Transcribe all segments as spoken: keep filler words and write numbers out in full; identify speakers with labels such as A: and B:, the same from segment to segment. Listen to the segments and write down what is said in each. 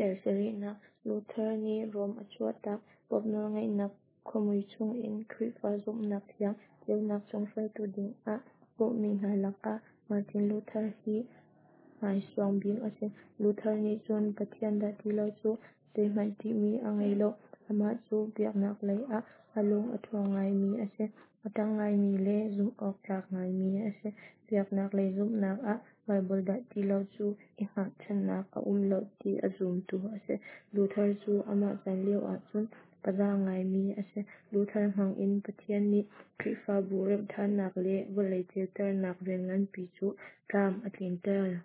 A: Dal sarihnak. Luther nih Rom a chuahtak. Pope nawlngeihnak khuamui chungin Khrihfa zumhnak thiang ceunak chung hruaitu dingah kawhmi hna lakah Martin Luther hi hmaisuang bik a si. Luther nih cun Pathian dah ti lo cu zeihmanh ṭihmi a ngei lo. Amah cu biaknak lei ah a lung a ṭhawng ngaimi a si. A ṭang ngaimi le zumh awk tlak ngaimi a si. Biaknak lei zumhnak ah Baibal dah ti lo cu i hngahchannak a um lo ti a zumtu a si. Luther cu amah chan lio ahcun paza ngaimi a si. Luther hmangin Pathian nih Khrihfabu remh ṭhannak le vawlei ceuternak rian nganpi cu tlam a tlinter.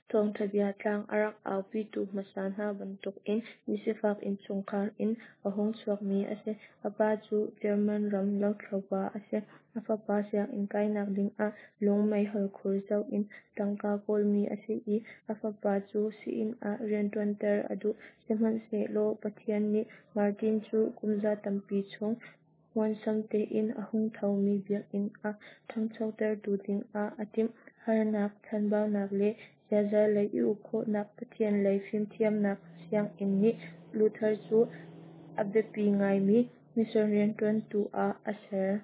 A: Thawngṭha bia tlang a rak aupitu hmasa hna bantukin misifak innchungkhar in a hung chuakmi a si. A pa cu German ram lothlopa a si. A fapa sianginn kainak dingah lung meihol khur co in tangka kawlmi a si i a fapa cu sii-inn ah rianṭuanter a duh. Sihmanhsehlaw Pathian nih Martin cu kumza tampi chung huansam tein a hung thomi biakinn a ṭhangchotertu dingah a timh. Harnak, chanbaunak le ziaza lei i uk khawhnak Pathian lei fimthiamnak sianginn nih Luther cu a biapi ngaimi mission rianṭuantu ah a ser.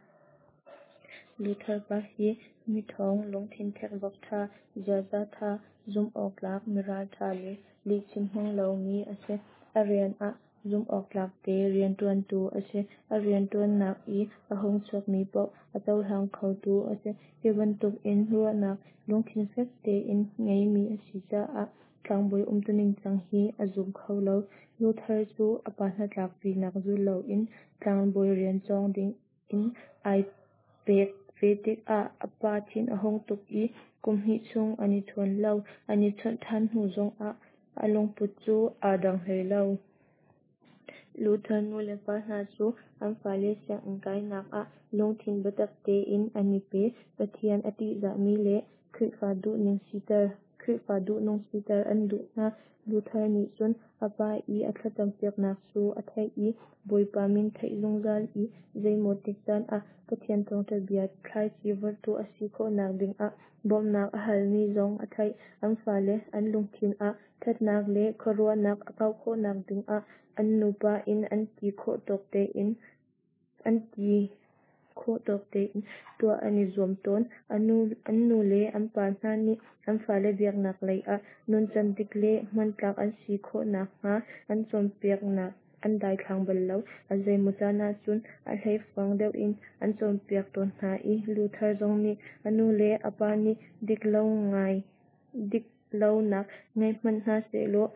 A: Luther pa hi miṭhawng, lungthin thekvok ṭha, ziaza ṭha, zumh awktlak, miralṭha le lihchim hmang lomi a si. A rian ah zumhawktlak te rianṭuantu a si. A rianṭuannak i a hung chuakmi paoh a cohlang khotu a si. Hi bantukin ruahnak lungthin fek tein ngeimi a si caah tlangbawi umtuning cang hi a zum kho lo. Luther cu a pa hnatlakpinak zul loin tlangbawi rian cawng dingin ai pek ve tikah a pa thin a hung tuk i kum hnih chung an i chawn lo. An i chawnh ṭhan hnu zongah a lungput cu aa dang hlei lo. Luther nulepa hna cu an fale sianginn kainak ah lungthin biatak tein an i pe. Pathian a ṭihzahmi le Khrihfa duhning siter Khrihfa duhnung siter an duh hna. Luther nih cun a pa i a thlacampiaknak cu a theih i Bawipa min theih zungzal i zeimaw tik caan ah Pathian thawngṭha bia thlaici vorhtu a si khawhnak dingah bawmhnak a halmi zong a theih. An fale an lungthin ah ṭhatnak le khuaruahnak a kauh khawhnak dingah an nupa in an ti khawh tawk tein an ti khawh tawk tein tuah an i zuam tawn. An nu le an pa hna nih an fale biaknak lei ah nuncan dik le hmantlak an si khawh nakhnga an cawnpiaknak an daithlang bal lo. A zeimaw caan ahcun a hleifuang deuh in an cawnpiak tawn hna i Luther zong nih a nu le a pa nih diklo ngai diklonak ngei hmanh hna sehlaw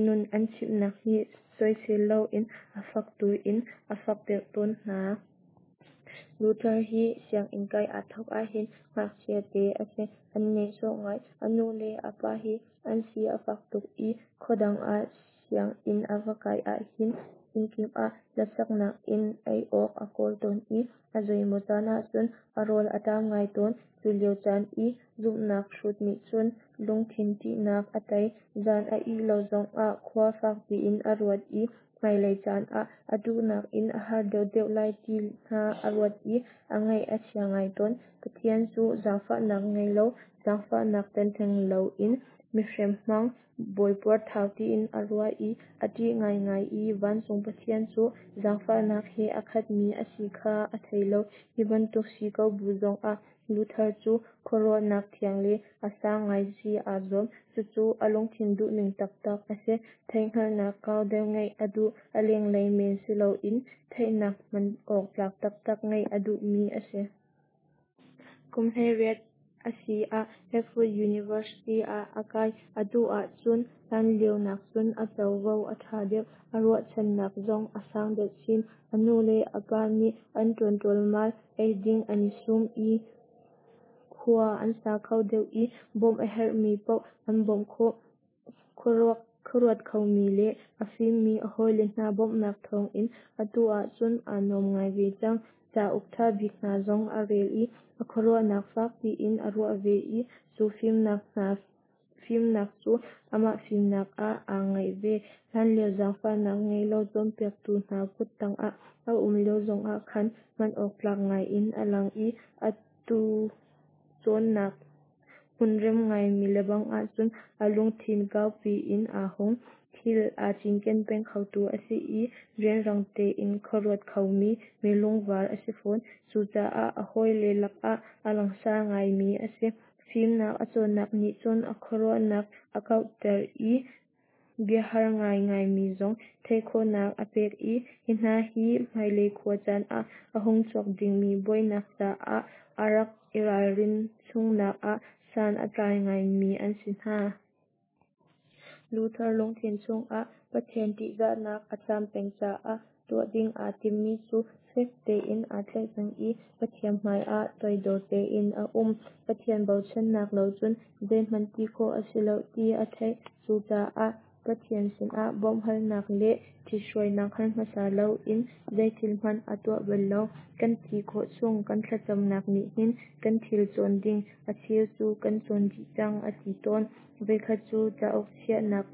A: nun an chimhnak hi soisel loin a fak tu in a fak deuh tawn hna. Luther hi sianginn kai aa thawk ahhin ngakchia te a si. An nehsawh ngai. A nu le a pa hi an si a fak tuk i khuadang ah sianginn a va kai ahhin innkip ah hlasaknak in ei awk a kawl tawn i a zeimaw caan ahcun a rawl a ṭam ngai tawn. Cu lio caan i zumhnak hrut nih cun lungthin ṭihnak a tei. Zan a ih lo zongah khua fakpi in a ruat i hmailei caan ah a duhnak in a har deuhdeuh lai ti hna a ruat i a ngaih a chia ngai tawn. Pathian cu zaangfahnak ngei lo, zaangfahnak tel theng loin mihrem hmang, bawi puarthau tiin a ruah i a ṭih ngaingai i vancung Pathian cu zaangfahnak he a khatmi a si kha a thei lo. Hi bantuk si ko bu zongah Luther cu khuaruahnak thiang le a sang ngai si aa zuam. Cucu a lungthin duhning taktak a si. Theihhngalhnak kau deuh ngeih a duh. A lenglei men si loin theihnak hman awk tlak taktak ngeih a duhmi a si. Kum hleiriat a si ah Erfurt University ah a kai. Atu ahcun hlanlio nakcun a covo a ṭha deuh, a ruahchannak zong a sang deuh chin. A nu le a pa nih an ṭuan ṭualmal, eiding an i sum i khua an sa kho deuh i bawmh a herhmi paoh an bawmh khawh. Khuaruat khomi le a fimmi a hawile hna bawmhnak thawngin atu ahcun aa nuam ngai ve cang. Cauk ṭha bik hna zong a rel i a khuaruahnak fakpi in a ruah ve i cu fimnak hna fimnak cu amah fimnak ah aa ngaih ve. Hlanlio zaangfahnak ngei lo cawnpiaktu hna kut tangah a um lio zongah khan hman awk tlak ngaiin a lang i atu cawnnak Hmunrem ngaimi lebang ahcun a lungthin kaupi in aa hung. Thil aa cinken peng khotu a si i rianrang tein khuaruat khomi mi lungvar a si fawn. Cucaah a hawile lakah a langsar ngaimi a si. Fimnak a cawnnak nih cun a khuaruahnak a kauhter i biahar ngaingaimi zong theih khawhnak a pek i hi hna hi hmailei khua caan ah a hung chuak dingmi buainak caah a rak i ralrin chungnak ah san a tlai ngaimi an si hna. Luther lungthin chungah Pathian ṭihzahnak a caam peng caah tuah ding aa timmi cu fek tein aa tlaih peng i Pathian hmai ah toidor tein a um. Pathian bochannak lo cun zeihmanh ti khawh a si lo ti a theih. Cucaah Pathian sinah bawmhhalnak le ṭhithruainak hal hmasa loin zeithil hmanh a tuah bal lo. Kan ti khawh chung kan thlacamnak nih hin kan thil cawn ding a cheu cu kan cawn dih cang a ti tawn. Voikhat cu cauk chiahnak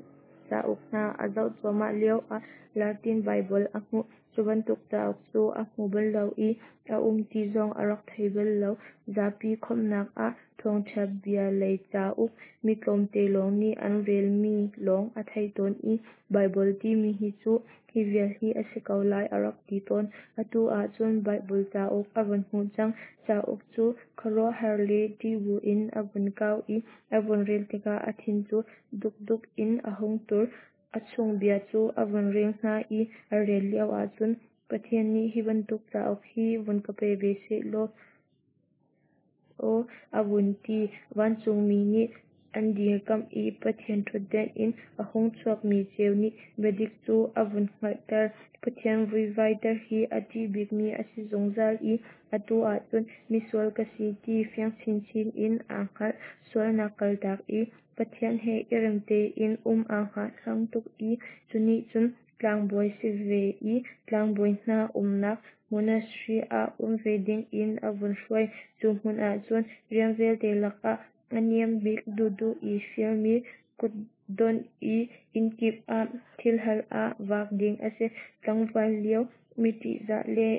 A: cauk hna a zoh cuahmah lioah Latin Baibal a hmuh. Cu bantuk cauk cu a hmu bal lo i a um ti zong a rak thei bal lo. Zapi khawmhnak ah thawngṭha bia lei cauk mi tlawmte lawng nih an relmi lawng a theih tawn i Baibal timi hi cu hi vial hi a si ko lai a rak ti tawn. Atu ahcun Baibal cauk a vun hmuh cang. Cauk cu khuaruahhar le ṭih buin a vun kau i a vun rel tikah a thin cu dukduk in a hung tur. A chung bia cu a vun rel hna i a rel lio ahcun Pathian nih hi bantuk cauk hi vun ka pe ve sehlaw aw a vun ti. Vancungmi nih an dirkamh i Pathian ṭhutden in a hung chuakmi ceu nih biadik cu a vun hngalhter. Pathian vuivaiter hi a ṭih bikmi a si zungzal i atu ahcun misual ka si ti fiang chinchin in aa hngalh. Sualnak kaltak i Pathian he i rem tein um aa hngahhlang tuk i cu nih cun tlangbawi si ve i tlangbawi hna umnak monastery ah um ve dingin a vun hruai. Cu hmun ahcun rian vialte lakah a niam bik duhduh i fialmi kutdonh i innkip ah thilhal ah vak ding a si. Tlangval lio mi ṭihzah le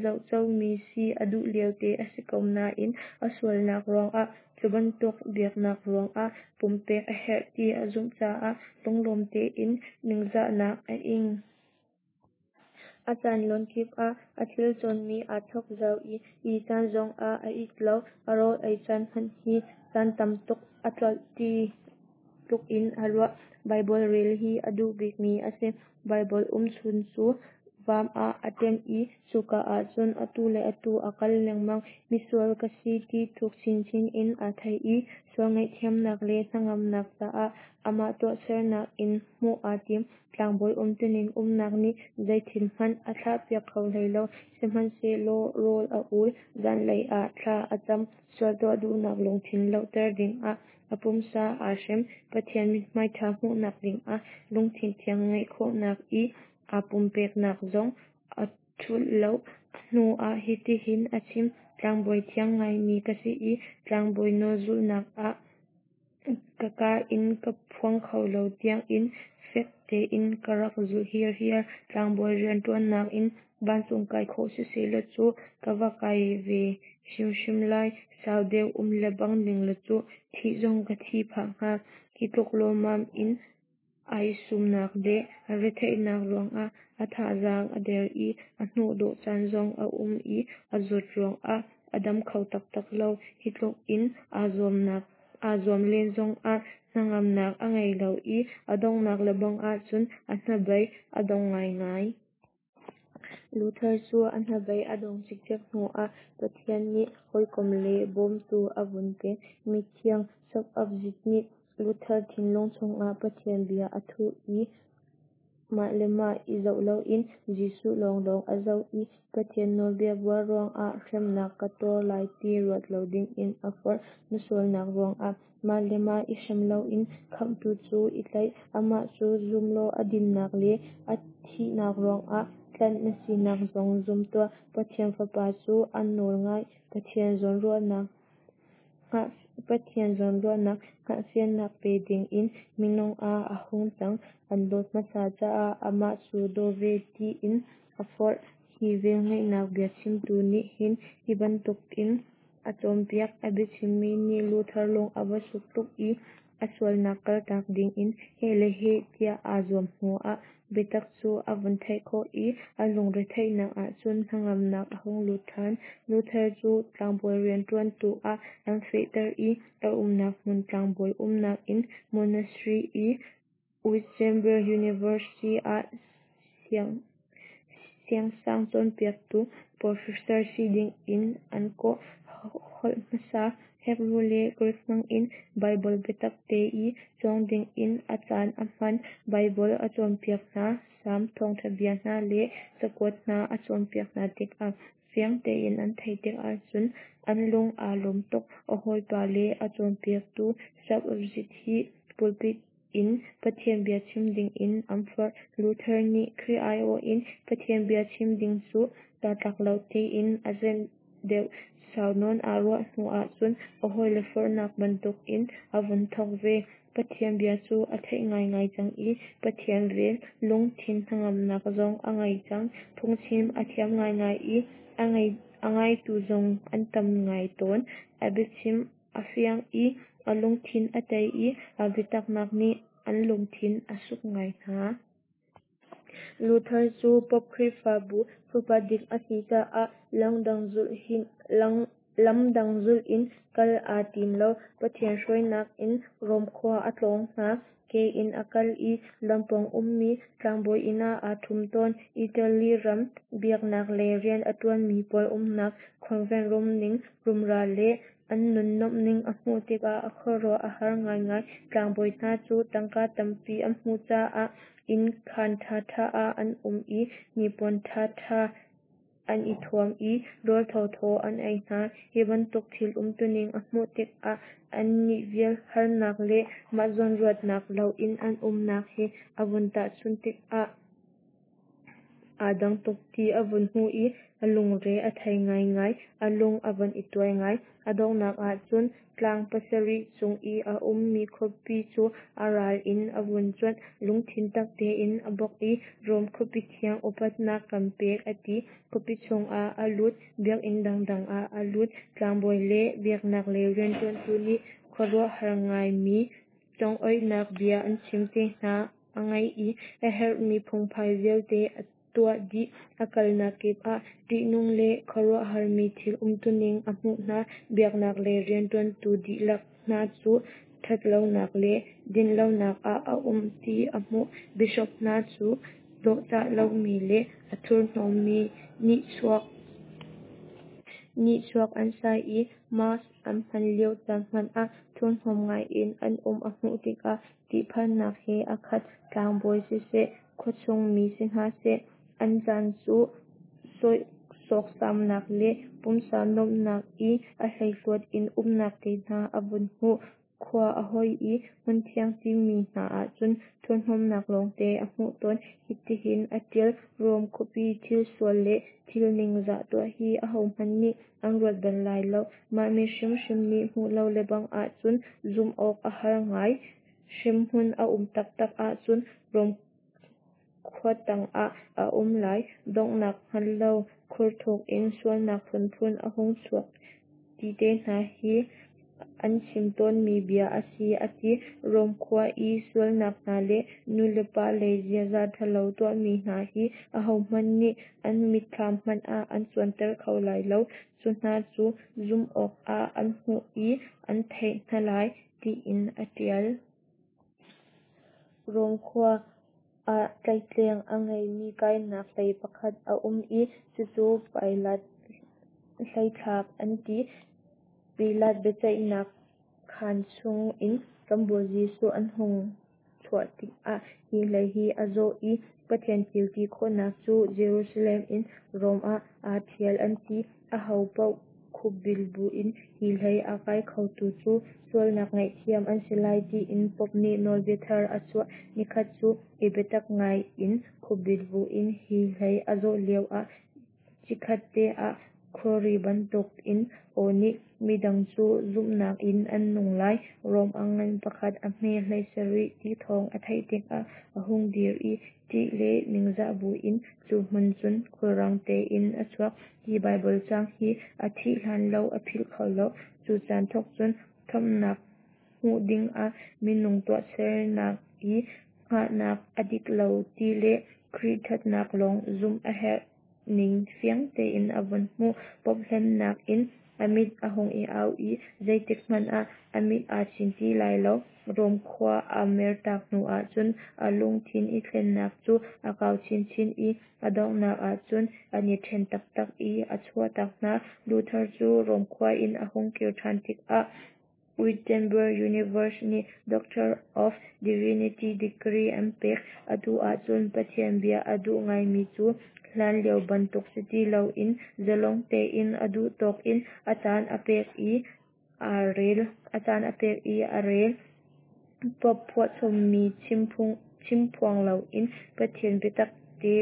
A: zohcomi si a duh liote a si ko nain a sualnak ruangah cu bantuk biaknak ruangah pumpek a herh ti a zumh caah lunglawm tein ningzahnak a ing. A caan lawng kip ah a thil cawnmi aa chok zau i ih caan zongah a it lo. A rawl ei caan hmanh hi caan tam tuk a tlolh ti tluk in a ruah. Baibal rel hi a duh bikmi a si. Baibal umchun cu vaam ah a ṭem i cuka ahcun atu le atu a kal lengmang. Misual ka si ti thuk chinchin in aa thei i sual ngaihthiamnak le hnangamnak caah amah tuahsernak in hmuh aa tim. Tlangbawi umtuning umnak nih zeithil hmanh a thlahpiak kho hlei lo. Sihmanhsehlaw rawl a ul, zanlei ah thla a cam. Sual tuah duhnak lungthin lohter dingah a pumsa aa hrem. Pathian mithmai ṭha hmuhnak dingah lungthin thiang ngeih khawhnak i aa pumpeknak zong a ṭhulh lo. A hnu ah hitihin a chim: Tlangbawi thiang ngaimi ka si i tlangbawi nawl zulhnak ah ka kaa in ka phuang kho lo tiangin fek tein ka rak zulh hirhiar. Tlangbawi rianṭuannak in vancung kai khawh sisehlaw cu ka va kai ve hrimhrim lai. Sau deuh um lebang ning law cu thih zong ka thih phah hnga. Hi tluk lawmmam in ai sumnak le a retheihnak ruangah a thazaang a der i a hnuhdawh caan zong a um i a zawt ruangah a dam kho taktak lo. Hi tluk in aa zuamnak aa zuam len zongah hnangamnak a ngei lo i a donghnak lebang ahcun a hnabei a dong ngaingai. Luther cu a hnabei a dongh cikcek hnuah Pathian nih hawikom le bawmtu a vun pek. Mithiang Sopapzit nih Luther thinlung chungah Pathian bia a thuh i mah le mah i zoh loin Jesuh lawnglawng a zoh i Pathian nawlbia buar ruangah hremnak ka tuar lai ti ruat lo dingin a forh. Na sualnak ruangah mah le mah i hrem loin Khamhtu cu i tlaih. Amah cu zum law a dinnak le a thihnak ruangah tlanh na sinak zong zum tuah. Pathian Fapa cu a nawl ngai. Pathian zawnruahnak Pathian zawnruahnak hngalhfiannak pe dingin minung ah a hung cang. An dawt hmasa caah amah cu daw ve tiin a forh. Hi velngeihnak biachimtu nih hin hi bantukin a cawnpiak. A biachimmi nih Luther lung a va suk tuk i a sualnak kaltak dingin heh le heh tiah aa zuam hnuah biatak cu a vun theih khawh i a lungretheihnak ahcun hnangamnak a hung lut ṭhan. Luther cu tlangbawi rianṭuantu ah an fehter i a umnak hmun tlangbawi umnak inn monastery i Wittenberg University ah siangsang cawnpiaktu professor si dingin an kawh. Holh hmasa Hebru le Greek hmangin Baibal biatak te i cawng dingin a caan a hman. Baibal a cawnpiak hna, Salm, thawngṭha bia hna le cakuat hna a cawnpiak hna tikah fiang tein an theih tikah cun an lung aa lawm tuk. A hawipa le a cawnpiaktu Schaff hi pulpit in Pathian bia chim dingin an forh. Luther nih Khrih aiawh in Pathian bia chim ding cu kaa tlak lo tiin a zenh deuh. Sau nawn aa ruah hnu ahcun a hawile forhnak bantukin a vun thawk ve. Pathian bia cu a theih ngaingai cang i Pathian vel, lungthin hnangamnak zong a ngei cang. Phungchim a thiam ngaingai i a ngaitu zong an tam ngai tawn. A biachim a fiang i a lungthin a tei i a biataknak nih an lungthin a suk ngai hna. Luther cu Pope Khrihfabu pupa dik a si caah lamdang zulh in kal aa tim lo. Pathian hruainak in Rom khua a tlawng hna. Ke in a kal i lampawng ummi tlangbawi inn ah aa ṭhum tawn. Italy ram biaknak lei rian a ṭuanmi pawl umnak convent rumning rumra le an nun nuamhning a hmuh tikah a khuaruah a har ngaingai. Tlangbawi hna cu tangka tampi an hmuh caah inn khaan ṭhaṭha ah an um i hnipuan ṭhaṭha an i thuam i rawl thawthaw an ei hna. Hi bantuk thil umtuning a hmuh tikah annih vial harnak le mah zawnruatnak loin an umnak he a vun tahchunh tikah aa dang tuk ti a vun hmuh i a lungre a thei ngaingai, a lung a vun i tuai ngai. A donghnak ahcun tlang pasarih cung i a ummi khuapi cu a ral in a vun cuanh. Lungthin tak tein a bawk i Rom khuapi thiang upatnak kan pek a ti. Khuapi chungah a lut, biakinn dangdang ah a lut. Tlangbawi le biaknak lei rianṭuantu nih khuaruahhar ngaimi congoihnak bia an chim te hna a ngaih i a herhmi phungphai vialte a tuah dih. A kalnak kip ah ṭihnung le khuaruahharmi thil umtuning a hmuh hna. Biaknak lei rianṭuantu dihlak hna cu ṭhatlonak le dinlonak ah a um ti a hmuh. Bishop hna cu dawhcah lomi le a thurhnawmmi nihchuak nihchuak an sai i Mass an hman lio caan hmanh ah thurhnawm ngaiin an um a hmuh tikah ṭihphannak he a khat. Tlangbawi siseh, khuachung mi si hna seh, an caan cu sawksamnak le pumsa nuamhnak i a hleihluat in umnak te hna a vun hmuh. Khua a hoi i hmunthiang timi hna ahcun thurhnawmnak lawngte a hmuh tawn. Hitihin a ṭial: Rom khuapi thil sual le thil ningzah tuah hi ahohmanh nih an ruat bal lai lo. Mah mit hrimhrim nih hmuh lo lebang ahcun zumh awk a har ngai. Hremhmun a um taktak ahcun Rom khua tangah a um lai. Donghnak hngal lo khurthuk in sualnak phunphun a hung chuak ti te hna hi an chim tawnmi bia a si a ti. Rom khua i sualnak hna le nulepa lei ziaza ṭhalo tuahmi hna hi ahohmanh nih an mitthlam hmanh ah an cuanter kho lai lo. Cu hna cu zumh awkah an hmuh i an theih hna lai, tiin a ṭial. Rom khua ah tlaihtleng a ngeimi kainak hlei pakhat a um i cucu Pilat hleithlak an ti. Pilat biaceihnak khaan chungin kan Bawi Jesuh an hung chuah tikah hi hlei hi a zawh i Pathian thil ti khawhnak cu Jerusalem in Rom ah aa ṭhial an ti. Ahopaoh khupbil buin hi hlei a kai khotu cu sualnak ngaihthiam an si lai tiin Pope nih nawlbia thar a chuah. Nikhat cu i biatak ngai in khupbil buin hi hlei a zawh lioah chikkhatte ah Khuari bantukin aw nih, "Midang cu zumhnak in an nung lai." Rom a ngan pakhat a hme hleisarih ti thawng a theih tikah a hung dir i ṭih le ningzah buin cu hmun cun khulrang tein a chuak. Hi Baibal caang hi a thih hlan lo a philh kho lo. Cu caan thawk cun khamhnak hmuh dingah minung tuahsernak i hngahnak a dik lo ti le Khrih ṭhatnak lawng zumh a herh ning fiang tein a vun hmuh. Pope hlennak in a mit a hung i au i zeitik hmanh ah a mit aa chin ti lai lo. Rom khua a mertak hnu ahcun a lungthin i thlennak cu a kau chinchin i a donghnak ahcun an i ṭhen taktak i a chuahtak hna. Luther cu Rom khua in a hung kir ṭhan tikah Wittenberg University nih Doctor of Divinity degree an pek. Atu ahcun Pathian bia a duh ngaimi cu hlan lio bantuk si ti loin zalong tein a duh tawk in a caan a pek i a rel. A caan a pek i a rel. Pope phuahchommi chimphuang loin Pathian biatak te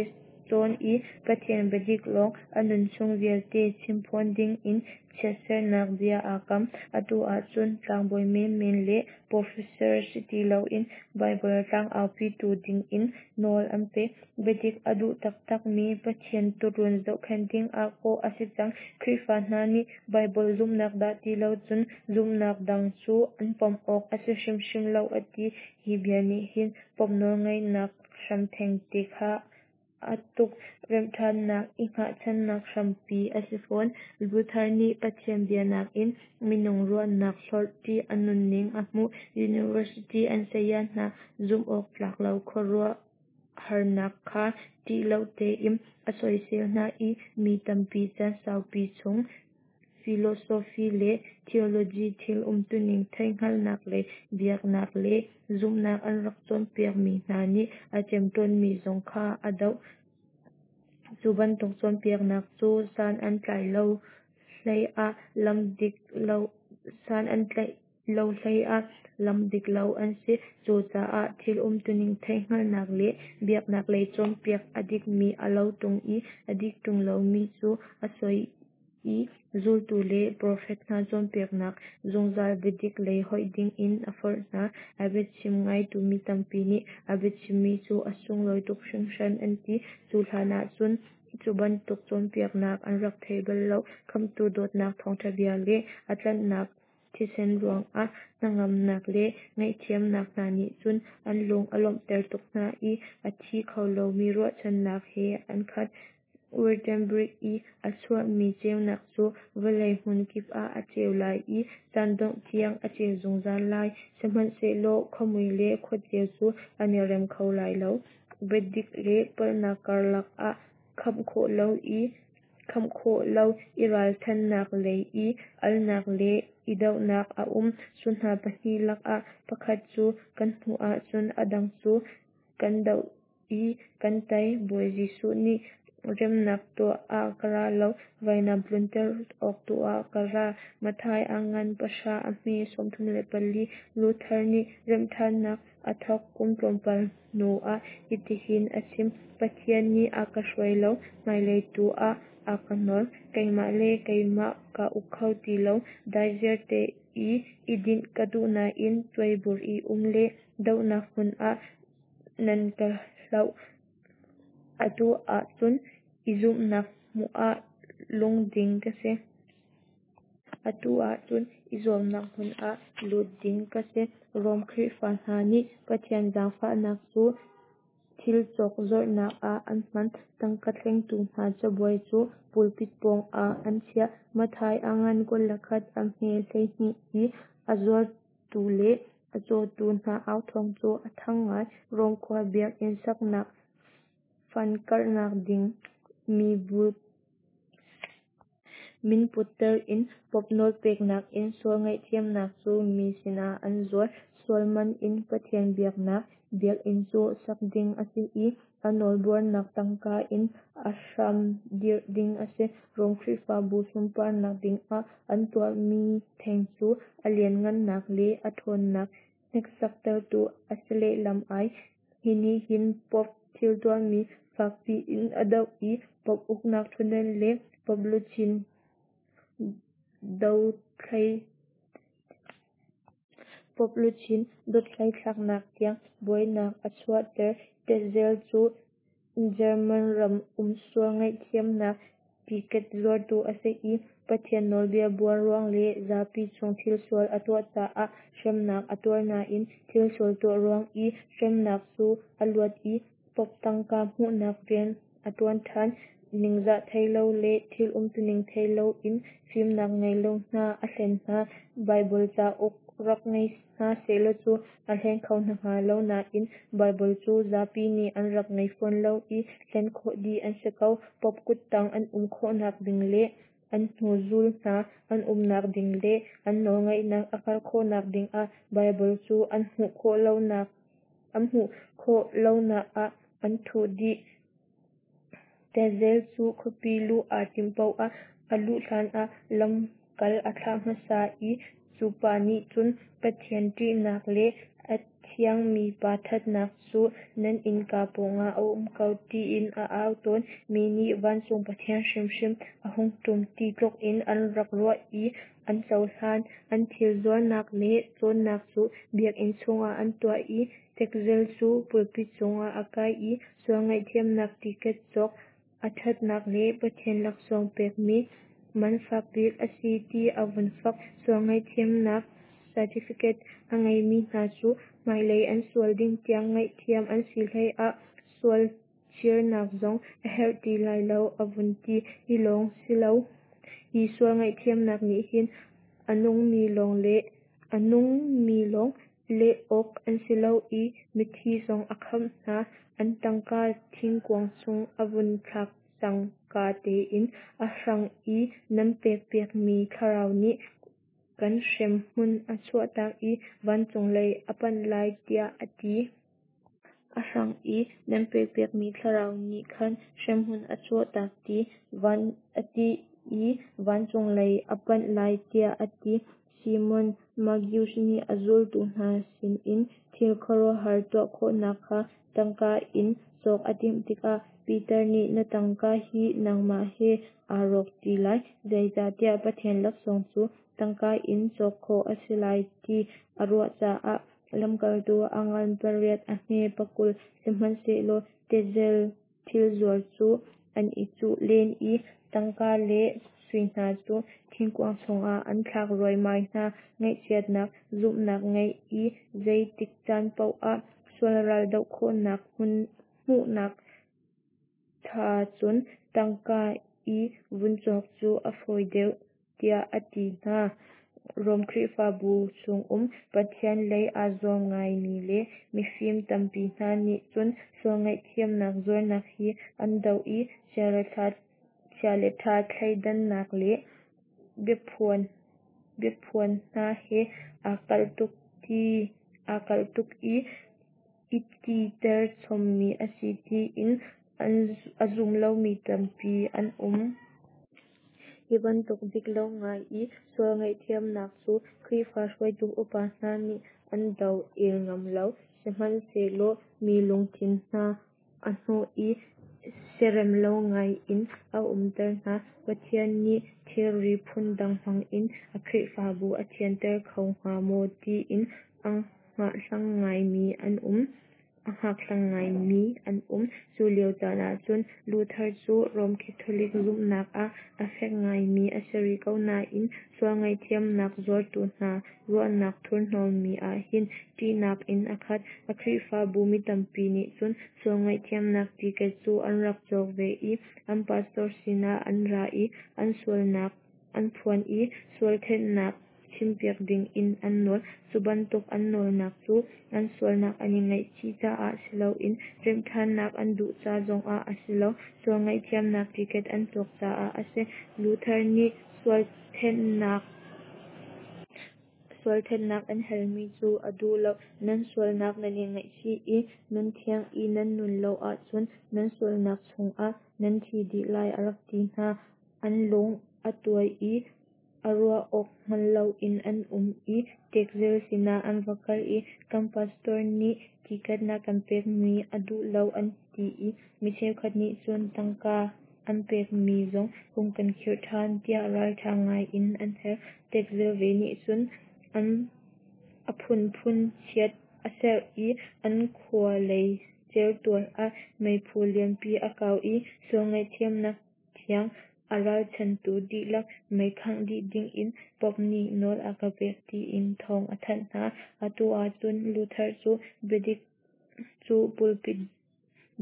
A: cawn i Pathian biadik lawng a nunchung vialte chimphuan dingin chiatsernak bia aa kam. Atu ahcun tlangbawi menmen le professor si ti loin Baibal tlangaupitu dingin nawl an pek. Biadik a duh taktakmi Pathian tuurun zohkhenh dingah kawh a si cang. Khrihfa hna nih Baibal zumhnak dah ti lo cun zumhnak dang cu an pom awk a si hrimhrim lo a ti. Hi bia nih hin Pope nawlngeihnak hram thengte kha a tuk. Remhṭhannak i hngahchannak hrampi a si fawn. Luther nih Pathian bia nakin minung ruahnak hlorh ṭih a nunning a hmuh. University an saya hna zumh awk tlak lo khuaruahharnak kha ṭih lo tein a soisel hna i mi tampi caan saupi chung philosophy le theology thil umtuning theihhngalhnak lei biaknak le zumhnak an rak cawnpiakmi hna nih a ṭemṭawnmi zong kha a doh. Cu bantuk cawnpiaknak cu san an tlai lo hleiah lam dik lo san an tlaih lo hleiah lam dik lo an si. Cucaah thil umtuning theihhngalhnak le biaknak lei cawnpiak a dikmi a lo ṭung i a dik ṭung lomi cu a soi i zultu le profet hna cawnpiaknak zungzal biadik lei hoih dingin a forh hna. A biachim ngaitu mi tampi nih a biachimmi cu a sunglawi tuk hringhran an ti. Cu hlan ahcun cu bantuk cawnpiaknak an rak thei bal lo. Khamhtu dawtnak thawngṭha bia le a tlanhnak thisen ruangah hnangamnak le ngaihthiamnak hna nih cun an lung a lawmhter tuk hna i a thi kho lomi ruahchannak he an khat. Wittenberg i a chuahmi ceunak cu vawlei hmunkip ah a ceu lai i caan dongh tiang a ceu zungzal lai. Sihmanhsehlaw khuamui le khuaceu cu an i rem kho lai lo. Biadik le palhnak karlak ah khamh khawh lo i khamh khawh lo i ralthannak lei i alnak le i dohnak a um. Cu hna pahnih lakah pakhat cu kan hmuh ahcun a dang cu kan doh i kan tei. Bawi Jesuh nih remnak tuah ah ka ra lo, vainam tlunter awk tu ah ka ra. Matthai a ngan pahra a hme sawmthum le pali. Luther nih remhṭhannak a thawk kum tlawmpal hnu ah hitihin a chim: Pathian nih a ka hruai lo, hmailei tu ah a ka nawl. Keimah le keimah kaa uk kho ti lo. Daiziar te i i dinh ka duh nain tuaibur i um le dohnak hmun ah nan ka hloh. Atu ahcun i zuamnak hmun ah lut ding ka si. Atu ahcun i zuamnak hmun ah lut ding ka si. Rom Khrihfa hna nih Pathian zaangfahnak cu thil cawk zuarhnak ah an hman. Tangka thlengtu hna cabuai cu pulpit pawngah an chiah. Matthai a ngan kul le khat a hme hleihnih i a zuartu le a cawtu hna au thawng cu a thang ngai. Rom khua biakinn saknak fund karhnak ding mibu min putter in Pope nawlpeknak in sual ngaihthiamnak cu mi sinah an zuar. Sual man in Pathian biaknak biakinn cu sak ding a si i a nawlbuarnak tangka in a hram dirh ding a si. Rom Khrihfabu sunparnak dingah an tuahmi theng cu a lianhngannak le a ṭhawnnak hneksaktertu a si lehlam ai. Hi nih hin Pope thil tuahmi fakpi in a doh i Pope uknak ṭhutdan le Pope luchin Dothlai Pope luchin dothlai thlaknak tiang buainak a chuahter. Tetzel cu German ram um sual ngaihthiamnak tiket zuartu a si i Pathian nawlbia buar ruang le zapi cung thilsual a tuah caah hremnak a tuar nain thilsual tuah ruang i hremnak cu a luat i Pope tangka hmuhnak rian a ṭuan ṭhan. Ningzah thei lo le thil umtuning thei loin fimnak ngei lo hna a hlen hna. Baibal cauk rak ngei hna sehlaw cu a hleng kho hna hnga lo nain Baibal cu zapi nih an rak ngei fawn lo i hlen khawh dih an si ko. Pope kuttang an um khawhnak ding le an hnuzul hna an umnak ding le an nawlngeihnak a karh khawhnak dingah Baibal cu an hmuh khawh lonak an hmuh khawh lonak ah an thuh dih. Tetzel cu khuapi luh aa timh paoh ah a luh hlanah lamkal a thlah hmasa i cu pa nih cun Pathian ṭihnak le a thiangmi pa ṭhatnak cu nan innka pawngah a um ko tiin a au tawn. Mi nih vancung Pathian hrimhrim a hung ṭum ti tluk in an rak ruah i an cohlan. An thil zuarnak le cawnnak cu biakinn chungah an tuah i Tetzel cu pulpit cungah a kai i sual ngaihthiamnak tiket cawk a ṭhatnak le Pathian laksawng pekmi man fakbik a si ti a vun fak. Sual ngaihthiamnak certificate a ngeimi hna cu hmailei an sual ding tiang ngaihthiam an si hleiah sual chirnak zong a herh ti lai lo a vun ti. Hi lawng si lo, hi sual ngaihthiamnak nih hin a nungmi lawng le a nungmi lawng leh awk an si lo i mithi zong a khamh hna. An tangka thingkuang chung a vun thlak cangka tein a hrang i nan pekpiakmi thlarau nih kan hremhmun a chuahtak i vancung lei a panh lai tiah a ti. A hrang i nan pekpiakmi thlarau nih khan hremhmun a chuahtak ti van a ti i vancung lei a panh lai tiah a ti. Simon Magus nih a zultu hna sinin thil khuaruahhar tuah khawhnak kha tangka in cawk a timh tikah Peter nih na tangka hi nangmah he aa rawk ṭi lai, zeicahtiah Pathian laksawng cu tangka in cawk khawh a si lai ti a ruah caah lamkaltu a ngan pariat a hme pakul. Sihmanhsehlaw Tetzel thilzuar cu an i cuh len i tangka le sui hna cu thingkuang chungah an thlak ruaimai hna. Ngaihchiatnak, zumhnak ngeih i zeitik caan paoh ah sual ral doh khawhnak hmuhnak cha cun tangka i vun cawk cu a fawi deuh tiah a ti hna. Rom Khrihfabu chungum Pathian lei aa zuam ngaimi le mifim tampi hna nih cun sual ngaihthiamnak zuarnak hi an doh i chia le ṭha thleidannak le biaphuan biaphuan hna he aa kalh tuk ti aa kalh tuk i i titer chommi a si tiin a zum lomi tampi an um. Hi bantuk dik lo ngai i sual ngaihthiamnak cu Khrihfa hruaitu upa hna nih an do el ngam lo. Sihmanhsehlaw mi lungthin hna a hnawh i siarem lo ngai in a umter hna. Pathian nih thilri phundang hmangin a Khrihfabu a thianter kho hnga maw tiin a hngahhlang ngaimi an um. A hngakhlang ngaimi an um. Cu lio caan ahcun Luther cu Rom Catholic zumhnak ah a fek ngaimi a si rih ko nain sual ngaihthiamnak zuartu hna ruahnak thurhnawmmi ah hin ṭihnak in a khat. A Khrihfabu mi tampi nih cun sual ngaihthiamnak tiket cu an rak cawk ve i an pastor sinah an ra i an sualnak an phuan i sual thenhnak chimpiak dingin an nawl. Cu bantuk an nawlnak cu an sualnak an i ngaihchih caah si loin remhṭhannak an duh ca zongah a si lo, sual ngaihthiamnak tiket an cawk caah a si. Luther nih sual thenhnak sual thenhnak an halmi cu a duh lo. Nan sualnak nan i ngaihchih i nunthiang i nan nun lo ahcun nan sualnak chungah nan thi dih lai a rak ti hna. An lung a tuai i a ruah awk hngal loin an um i Tetzel sinah an va kal i kan pastor nih tiket na kan pekmi a duh lo an ti i mi cheukhat nih cun tangka an an pekmi zong hung kan khirh ṭhan, tiah ralṭha ngai in an hal. Tetzel ve nih cun a phunphun chiat a serh i an khua lei certual ah meiphu lianpi a kau i sual ngaihthiamnak thiang a ralchanhtu dihlak mei khangh dih dingin Pope nih nawl a ka pek tiin thawng a thanh hna. Atu ahcun Luther cu biadik cu pulpit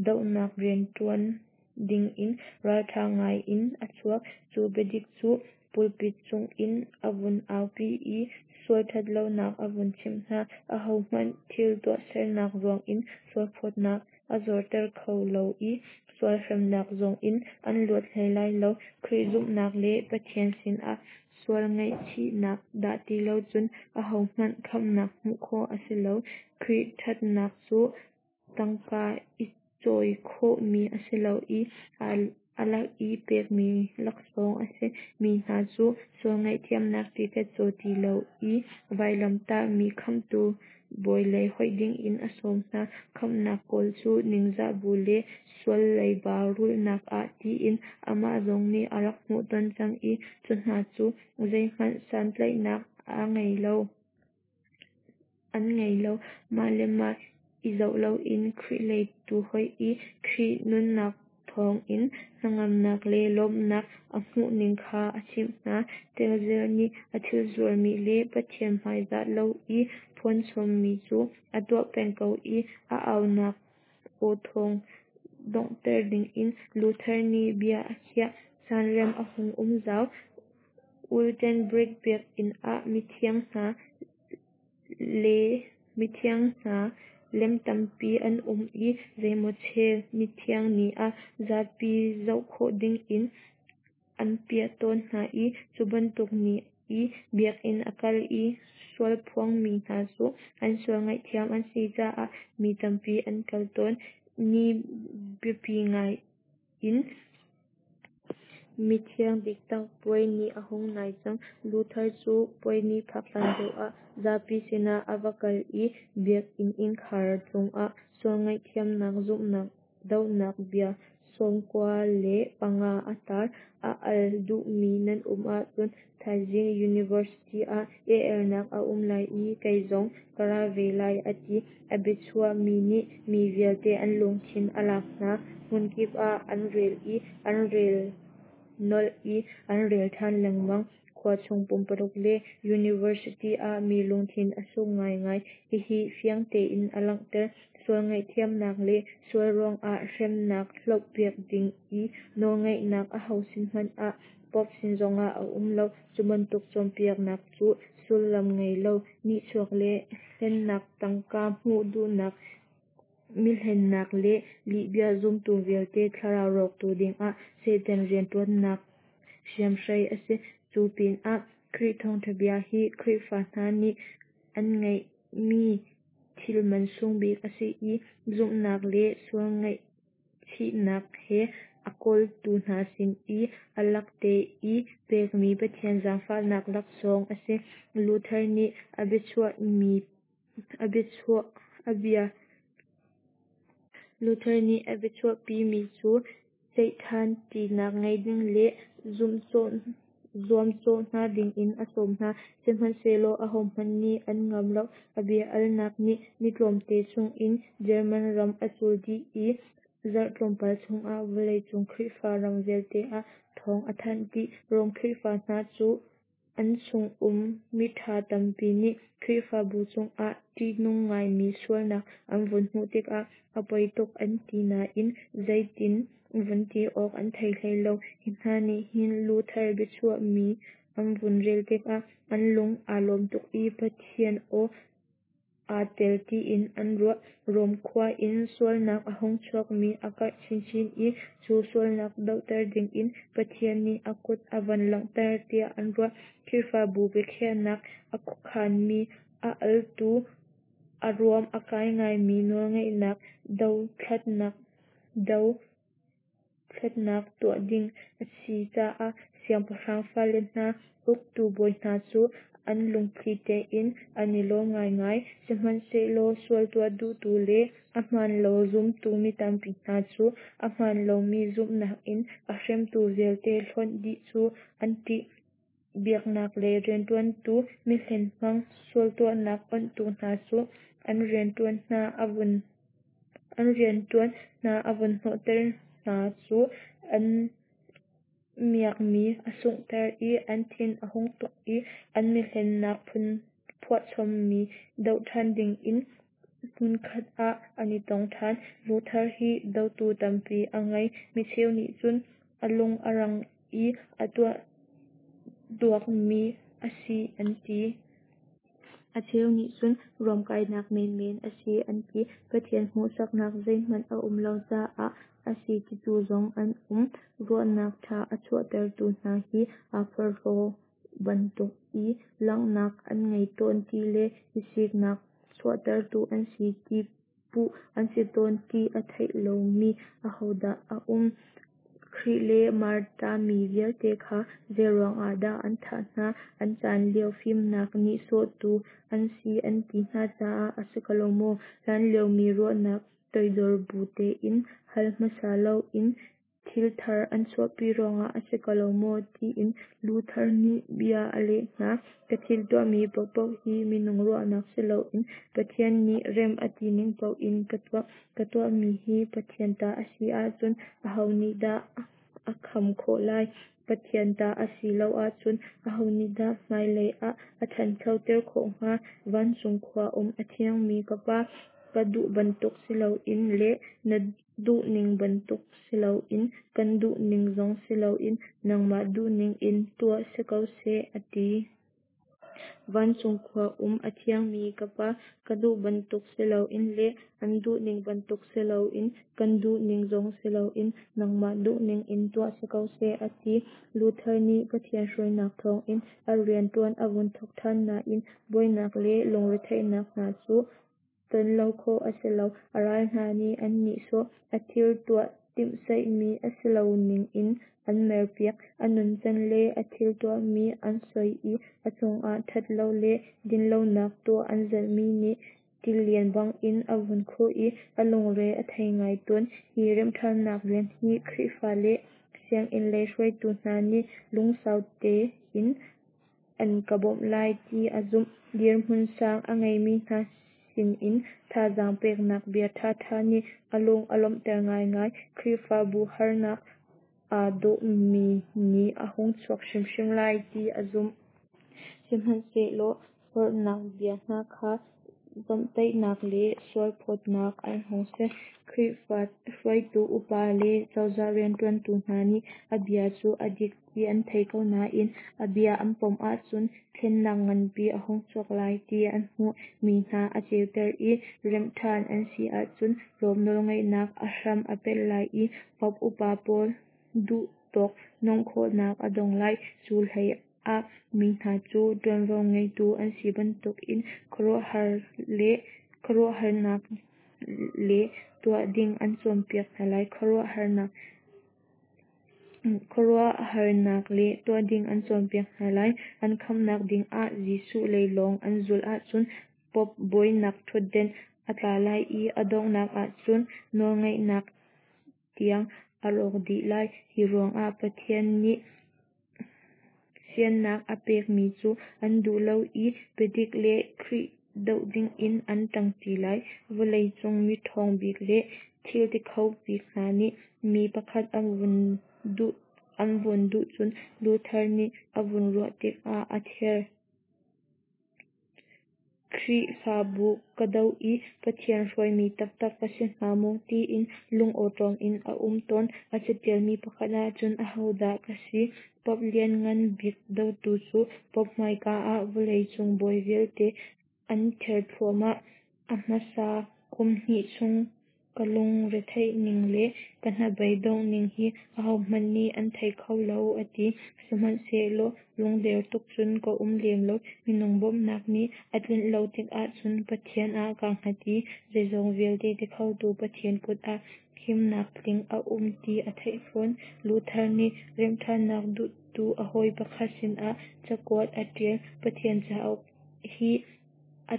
A: dohnak rianṭuan dingin ralṭha ngai in a chuak. Cu biadik cu pulpit cungin a vun aupi i sual ṭhatlonak a vun chimh hna. Ahohmanh thil tuahsernak ruangin sualphawtnak a zorter kho lo i sual hremnak zongin an luat hlei lai lo. Khrih zumhnak le Pathian sinah sual ngaihchihnak dah ti lo cun ahohmanh khamhnak hmuh khawh a si lo. Khrih ṭhatnak cu tangka i cawi khawhmi a si lo i a lak i pekmi laksawng a si. Mi hna cu sual ngaihthiamnak tiket caw ti lo i vailamtahmi Khamhtu Bawi lei hoih dingin a sawm hna. Khamhnak kawl cu ningzah bu le sual leiba rulhnak ah tiin amah zong nih a rak hmuhton cang i cu hna cu zeihmanh santlaihnak an ngei lo. An ngei lo. Mah le mah i zoh loin Khrih lei tu hoih i Khrih nunnak thawngin hnangamnak le lawmhnak a hmuhning kha a chimh hna. Tetzel nih a thil zuarmi le Pathian hmaizah lo i phuanchommi cu a tuah peng ko i a aunak awthawng donghter dingin Luther nih bia a khiah. Caan rem a hung um zau. Wittenberg biakinn ah mithiang hna le mithiang hna lem tampi an um i zeimawchel mithiang ni ah zapi zoh khawh dingin an piah tawn hna i cu bantuk ni i biakinn a kal i sualphuangmi hna cu an sual ngaihthiam an si caah mi tampi an kal tawn. Ni biapi ngai in mithiang diktak puai ni a hung nai cang. Luther cu puai ni phak hlan deuh ah zapi sinah a va kal i biakinn innkhar cungah sual ngaihthiamnak zumhnak dohnak bia sawmkua le panga a tar. A al duhmi nan um ahcun thaizing University ah i alnak a um lai i kei zong ka ra ve lai a ti. A biachuahmi nih mi vialte an lungthin a lak hna. Hmunkip ah an rel i an rel nolh i an rel ṭhan lengmang. Khua chung pumpaluk le University ah mi lungthin a suk ngaingai. Hihi fiang tein a langhter. Sual ngaihthiamnak le sual ruangah hremnak hlohpiak ding i nawlngeihnak aho sin hmanh ah Pope sin zongah a um lo. Cu bantuk cawnpiaknak cu sullam ngei lo, nihchuak le hlennak, tangka hmuh duhnak, mihlennak le lihbia zumtu vialte thlarau rawktu dingah Satan rianṭuannak hriamhrei a si. Cu pinah Khrih thawngṭha bia hi Khrihfa hna nih an ngeihmi thil mansung bik a si i zumhnak le sual ngaihchihnak he a kawltu hna sin i a lakte i pekmi Pathian zaangfahnak laksawng a si. Luther nih a biachuahmi a biachuah a bia Luther nih a biachuahpimi cu ceihṭhan ṭinak ngei ding le zuamcawh hna dingin a sawm hna. Sihmanhsehlaw ahohmanh nih an ngam lo. A bia alnak nih ni tlawmte chungin German ram a cul dih i zarh tlawmpal chungah vawleicung Khrihfa ram vialte ah thawng a thanh dih. Rom Khrihfa hna cu an chungum miṭha tampi nih Khrihfabu chungah ṭihnung ngaimi sualnak an vun hmuh tikah a poi tuk an ti nain zeitin vun ti awk an thei hlei lo. Hi hna nih hin Luther biachuahmi an vun rel tikah an lung aa lawm tuk i Pathian aw aa tel tiin an ruah. Rom khua in sualnak a hung chuakmi a karh chinchin i cu sualnak dohter dingin Pathian nih a kut a van langhter tiah an ruah. Khrihfabu biakhiahnak a khuakhanmi a altu a ruam a kai ngaimi nawlngeihnak dothlatnak dothlatnak tuah ding a si caah siangpahrang fale hna uktu bawi hna cu an lungthli tein an i lawm ngaingai. Sihmanhsehlaw sual tuah duhtu le a hmaan lo zumtu mi tampi hna cu a hmaan lomi zumhnak in a hremtu vialte hlonh dih cu an ṭih. Biaknak lei rianṭuantu mihlen hmang, sual tuahnak onhtu hna cu an rianṭuan hna a vun an rianṭuan hna a vun hnawhter hna cu an miakmi a sunghter i an thin a hung tuk i an mihlennak phuahchommi doh ṭhan dingin hmunkhat ah an i tong ṭhan. Luther hi dotu tampi a ngei. Micheu nih cun a lung a rang i a tuah duakmi a si an ti. A cheu nih cun ruamkainak menmen a si an ti. Pathian hmuhsaknak zeihmanh a um lo caah a si titu zong an um. Ruahnak ṭha a chuahtertu hna hi aa porhlaw bantuk i langhnak an ngei tawn ti le i siknak chuahtertu an si ti puh an si tawn ti a thei lomi ahodah a um? Khrih le Martami vialte kha zeiruang ah dah an thah hna? An caan lio fimnak nihsawhtu an si an ti hna caah a si ko lo maw? Hlanlio mi ruahnak toidor bu tein hal hmasa loin thil thar an chuahpi ruangah a si ko lo maw? Tiin Luther nih bia a leh hna. Ka thil tuahmi paohpaoh hi minung ruahnak si loin Pathian nih rem a ti ning paoh in ka tuah. Ka tuahmi hi Pathian ta a si ahcun aho nih dah a kham khawh lai? Pathian ta a si lo ahcun aho nih dah hmailei ah a ṭhanchoter khawh hnga? Vancung khua um a thiangmi ka Pa, ka duh bantuk si loin le na duhning bantuk si loin kan duhning zong si loin nangmah duhning in tuah si ko seh, a ti. Vancung khua um a thiangmi ka Pa, ka duh bantuk si loin le an duhning bantuk si loin kan duhning zong si loin nangmah duhning in tuah si ko seh, a ti. Luther nih Pathian hruainak thawngin a rianṭuan a vun thawk ṭhan nain buainak le lungretheihnak hna cu ton lo khawh a si lo. A ral hna nih an nihsawh, a thil tuah timhseihmi a si lo ning in an merpiak, a nuncan le a thil tuahmi an soi i a cungah ṭhatlo le dinlonak tuah an zalhmi nih tilian bangin a vun khuh i a lungre a thei ngai tawn. Hi remhṭhannak rian hi Khrihfa le sianginn lei hruaitu hna nih lungsau tein an ka bawmh lai ti a zumh. Dirhmun sang a ngeimi hna sinin thazaang peknak bia ṭhaṭha nih a lung a lawmhter ngaingai. Khrihfabu harnak aa dawhmi ni a hung chuak hrimhrim lai ti a zumh. Sihmanhsehlaw forhnak bia hna kha zawmhtaihnak le sualphawtnak an hung si. Khrihfa hruaitu upa le cozah rianṭuantu hna nih a bia cu a dik ti an thei ko nain a bia an pom ahcun thlennak nganpi a hung chuak lai ti an hmuh. Mi hna a ceuter i remh ṭhan an si ahcun Rom nawlngeihnak a hram a pet lai i Pope upa pawl duhtawk nung khawhnak a dong lai. Cu hlei ah mi hna cu ṭuanvo ngeitu an si bantukin khuaruahhar le khuaruahharnak le tuah ding an cawnpiak hna lai. Khuaruahharnak khuaruahharnak le tuah ding an cawnpiak hna lai. An khamhnak dingah Jesuh lei lawng an zulh ahcun Pope bawinak ṭhutden a tla lai i a donghnak ahcun nawlngeihnak tiang a rawk dih lai. Hi ruangah Pathian nih siannak a pekmi cu an duh lo i biadik le Khrih doh dingin an ṭangṭi lai. Vawleicung miṭhawng bik le thiltikho bik hna nih mi pakhat an vun duh an vun duh cun Luther nih a vun ruah tikah a ther. Khrihfabu ka doh i Pathian hruaimi taktak ka si hnga maw tiin lungawṭawm in a um tawn. A caṭialmi pakhat ahcun ahodah ka si? Pope lianngan bik dotu cu Pope hmaika ah vawleicung bawi vialte an ther thluahmah. A hmasa kum hnih chung Ka lungretheih ning le ka hnabei dongh ning hi ahohmanh nih an thei kho lo, a ti. Sihmanhsehlaw lungder tuk cun ka um lem lo. Minung bawmhnak nih a tlinh lo tikah cun Pathian ah kaa hngat i zeizong vialte ti khotu Pathian kut ah himnak tling a um ti a theih fawn. Luther nih remhṭhannak duhtu a hawi pakhat sinah cakuat a ṭial. Pathian cauk hi a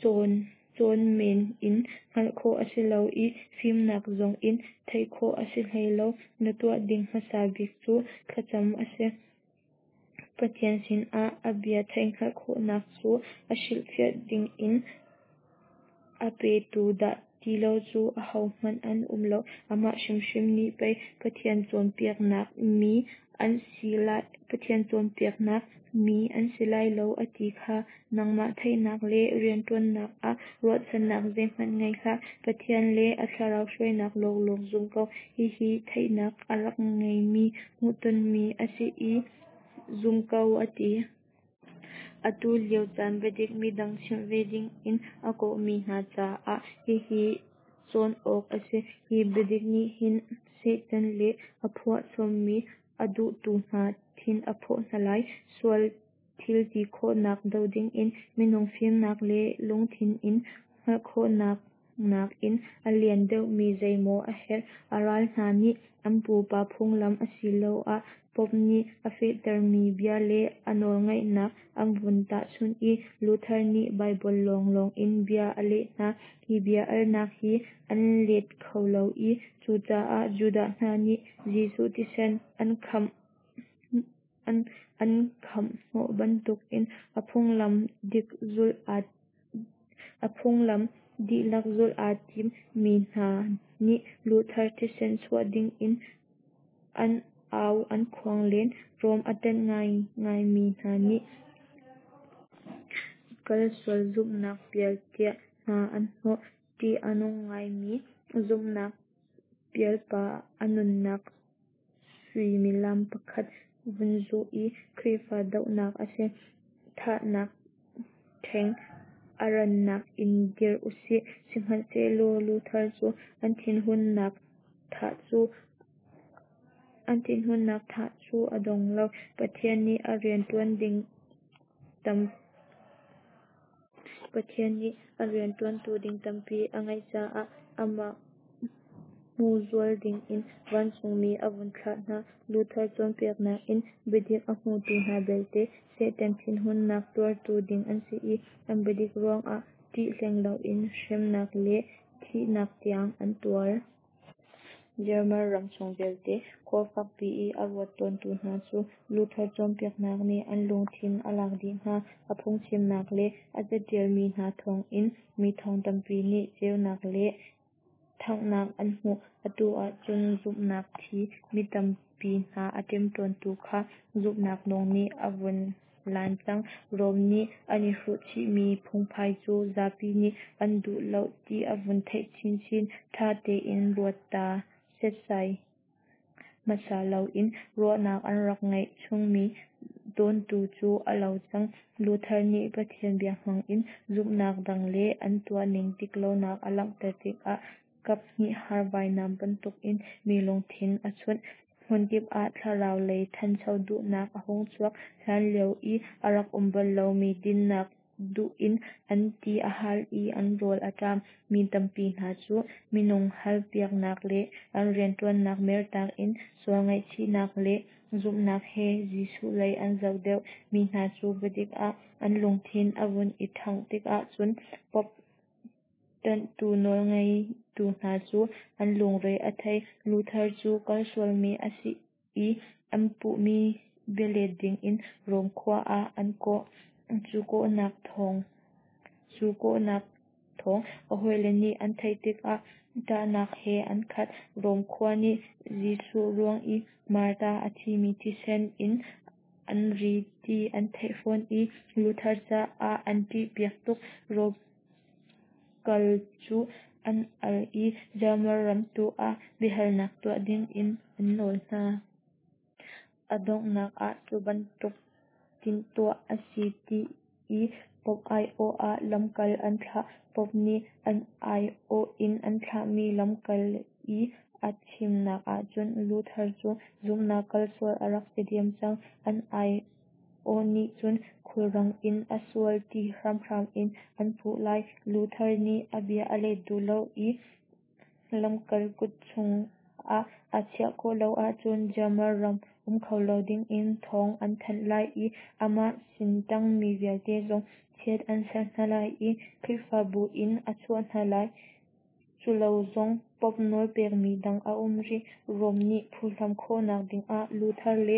A: cawn cawn men in hngalh khawh a si lo i fimnak zong in theih khawh a si hlei lo. Na tuah ding hmasa bik cu thlacam a si. Pathian sinah a bia theihhngalh khawhnak cu a hrilhfiah ding in a petu dah ti lo cu ahohmanh an um lo. Amah hrimhrim nih pei Pathian cawnpiaknak mi an si lai Pathian cawnpiaknak mi an si lai lo a ti kha. Nangmah theihnak le rianṭuannak ah ruahchannak zeihmanh ngei hlah. Pathian le a thlarau hruainak lawnglawng zum ko. Hihi theihnak a rak ngeimi hmuhtonmi a si i zum ko, a ti. Atu lio caan biadik midang chimh ve dingin a kawhmi hna caah hihi cawn awk a si. Hi biadik nih hin Satan le a phuah chommi a duhtu hna thin a phawh hna lai. Sual thil ti khawhnak doh dingin minung fimnak le lungthin in hngalh khawhnak nakin a lian deuhmi zeimaw a herh. A ral hna nih an pupa phunglam asiloah Pope nih a fehtermi bia le a nawlngeihnak an vun tahchunh i Luther nih Baibal lawnglawng in bia a leh hna. Hi bia alnak hi an let kho lo i cucaah Judah hna nih Jesuh thisen an khamh an khamh hnawh bantukin a phunglam dik zulh aa a phunglam dihlak zulh aa tim mi hna nih Luther thisen chuah dingin an au an khuang len. Rom a ṭanh ngaingaimi hna nih kal sual zumhnak pial tiah hna an hnawh. Ṭih a nung ngaimi zumhnak pialpa a nunnak suimilam pakhat vun zuh i Khrihfa dohnak a si. Thahnak ṭheng a rannak in dir usih. Sihmanhsehlaw Luther cu an thinhunnak tha cu an thinhunnak tha cu a dong lo. Pathian nih a rianṭuan ding tam Pathian nih a rianṭuantu ding tampi a ngeih caah amah hmuzual dingin vancungmi a vun thlah hna. Luther cawnpiaknak in biadik a hmutu hna belte Satan thinhunnak tuartu ding an si i an biadik ruangah ṭih hleng loin hremnak le thihnak tiang an tuar. German ram chung vialte khua fakpi i a ruat tawntu hna cu Luther cawnpiaknak nih an lungthin a lak dih hna. A phungchimnak le a caṭialmi hna thawngin mi thong tampi nih ceunak le ṭhanghnak an hmuh. Atu ahcun zumhnak thi mi tampi hna a ṭemṭawntu kha zumhnak nung nih a vun lan cang. Rom nih an i hruh chihmi phungphai cu zapi nih an duh lo ti a vun theih chinchin. Ṭha tein ruat ta setsai hmasa loin ruahnak an rak ngeih chungmi dawntu cu a lo cang. Luther nih Pathian bia hmangin zumhnak dang le an tuahning diklonak a langhter tikah kap hnih har vainam bantukin mi lungthin a chunh. Hmunkip ah thlarau lei ṭhancho duhnak a hung chuak. Hlanlio i a rak um bal lomi dinnak duh in an ti a hal i an rawl a ṭam. Mi tampi hna cu minung halpiaknak le an rianṭuannak mertak in sual ngaihchihnak le zumhnak he Jesuh lei an zoh deuh. Mi hna cu biadik ah an lungthin a vun i ṭhangh tikah cun Pope ṭanhtu nawlngeitu hna cu an lungre a thei. Luther cu kal sualmi a si i an puhmi bialet dingin Rom khua ah an kawh. Cu kawhnak thawng cu kawhnak thawng a hawile nih an theih tikah ṭahnak he an khat. Rom khua nih Jesuh ruang i martar a thimi thisen in an ri ti an theih fawn i Luther caah an ṭihpiak tuk. Rom kal cu an al i German ram tu ah biahalnak tuah dingin an nawl hna. A donghnak ah cu bantuk tinhtuah a si ti i Pope aiawh ah lamkal an thlah. Pope nih an aiawh in an thlahmi lamkal i a chimnak ahcun Luther cu zumhnak kalsual a rak si diam cang. An aiawh nih cun khulrang in a sual ti hramhram in an puh lai. Luther nih a bia a let duh lo i lamkal kut chungah aa chiah khawh lo ahcun German ram um kho lo dingin thawng an thanh lai i amah sin ṭangmi vialte zong chiat an serh hna lai i Khrihfabu in a chuah hna lai. Culo zong Pope nawl pekmi dang a um rih. Rome nih phuhlam khawhnak dingah Luther le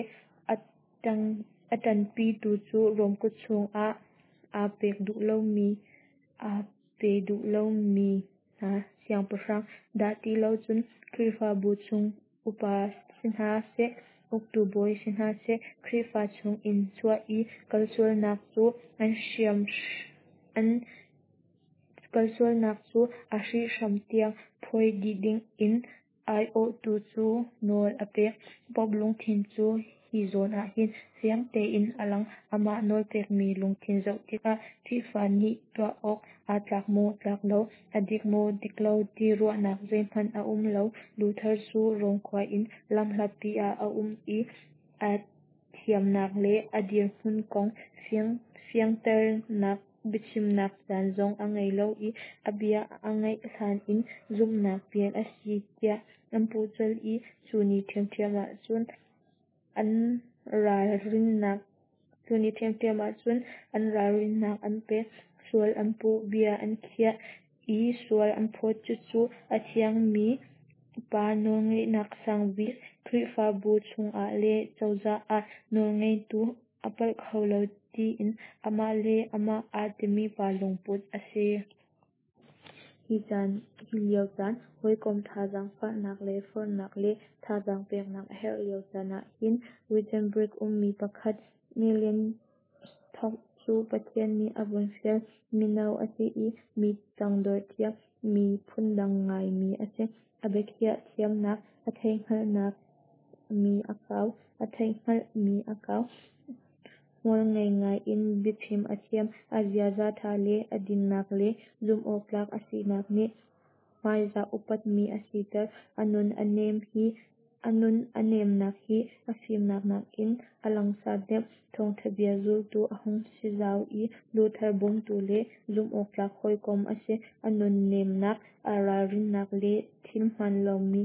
A: a ṭanpitu cu Rome kut chungah aa pek duh lomi aa pe duh lomi hna siangpahrang dah ti lo cun Khrihfabu chung upa si hna seh, uktu bawi si hna seh, Khrihfa chungin chuah i kalsualnak cu an hriam an kalsualnak cu a hrihhram tiang phawi dih dingin aiawhtu cu nawl a pek. Pope lungthin cu hi zawn ahhin fiang tein a lang. Amah nawlpekmi lungthin zoh tikah Khrihfa nih tuah awk aa tlak maw tlak lo, a dik maw dik lo ti ruahnak zeihmanh a um lo. Luther cu Rome khua in lamhlatpi ah a um i a thiamnak le a dirhmun kong fianternak biachimnak caan zong a ngei lo i a bia a ngaih hlan in zumhnak pial a si tiah an puh colh i cu ni ṭhiamṭhiam ahcun an ralrinnak cu ni ṭhiamṭhiam ahcun an ralrinnak an pek. Sual an puh, bia an khiah i sual an phawt. Cucu a thiangmi pa nawlngeihnak sangbik Khrihfabu chungah le cozah ah nawlngeitu a palh kho lo tiin amah le amah aa timi pa lungput a si. Hi caan hi lio caan hawikom thazaang fahnak le forhnak le thazaang peknak a herh lio caan ah hin Wittenberg ummi pakhat Melanchthon cu Pathian nih a vun fial. Mino a si i mi tangdor thiam, mi phundang ngaimi a si. A biakhiah thiamnak, a theihhngalhnak mi a kau, a theihhngalhmi a kau. Hmualngei ngai in biachim a thiam. A ziaza ṭha le a dinnak le zumhawktlak a sinak nih hmaizah upatmi a siter. A nun a nem hi a nun a nemnak hi a fimnak nakin a langsar deuh. Thawngṭha bia zultu a hung si zau i Luther bawmtu le zumhawktlak hawikom a si. A nun nemnak, aa ralrinnak le thil hmaan lomi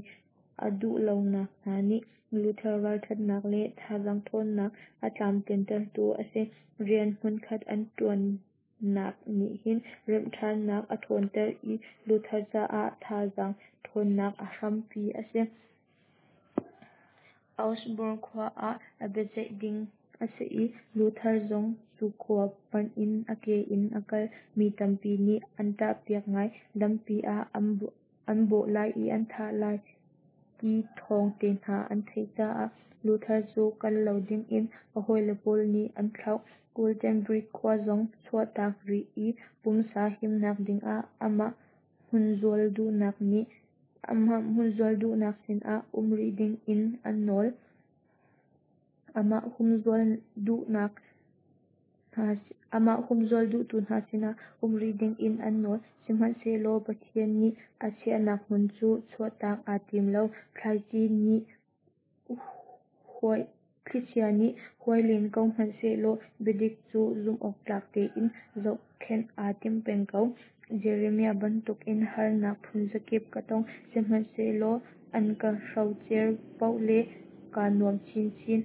A: a duh lonak hna nih Luther ralṭhatnak le thazaang ṭhawnnak a tlamtlintertu a si. Rian hmunkhat an ṭuannak nih hin remhṭhannak a ṭhawnter i Luther caah thazaang ṭhawnnak a hrampi a si. Augsburg khua ah a biaceih ding a si i Luther zong cu khua panh in a ke in a kal. Mi tampi nih an ṭahpiak ngai. Lampi ah an bawh lai i an thah lai ti thawng te hna an theih caah Luther cu kal lo dingin a hawile pawl nih an thlauh. Wittenberg khua zong chuahtak rih i pumsa himnak dingah amah humzual duhnak nih amah humzual duhnak sinah um rih dingin an nawl. Amah humzual duhnak hna amah humzual duhtu hna sinah um rih dingin an nawl. Sihmanhsehlaw Pathian nih a chiahnak hmun cu chuahtak aa tim lo. Thlaici nih huai thlichia nih huai len ko hmanh sehlaw biadik cu zumhawktlak tein zohkhenh aa tim peng ko. Jeremiah bantukin harnak phunzakip ka tong, sihmanhsehlaw an ka hrocer paoh le kaa nuam chinchin.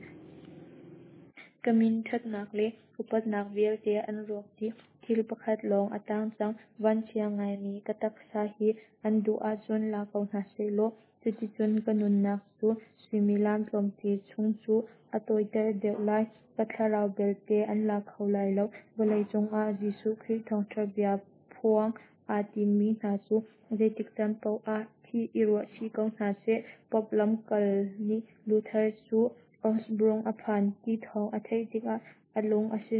A: Ka min ṭhatnak le upatnak vialte an rawk dih. Thil pakhat lawng a tang cang. Vanchia ngaimi ka taksa hi an duh ahcun la ko hna sehlaw, cuticun ka nunnak cu suimilam tlawmte chung cu a tawiter deuh lai. Ka thlarau belte an la kho lai lo. Vawleicung ah Jesuh Khrih thawngṭha bia phuang aa timmi hna cu zeitik caan paoh ah thih i ruahchih ko hna seh. Pope lamkal nih Luther cu Augsburg a phan ti thawng a theih tikah a lung a si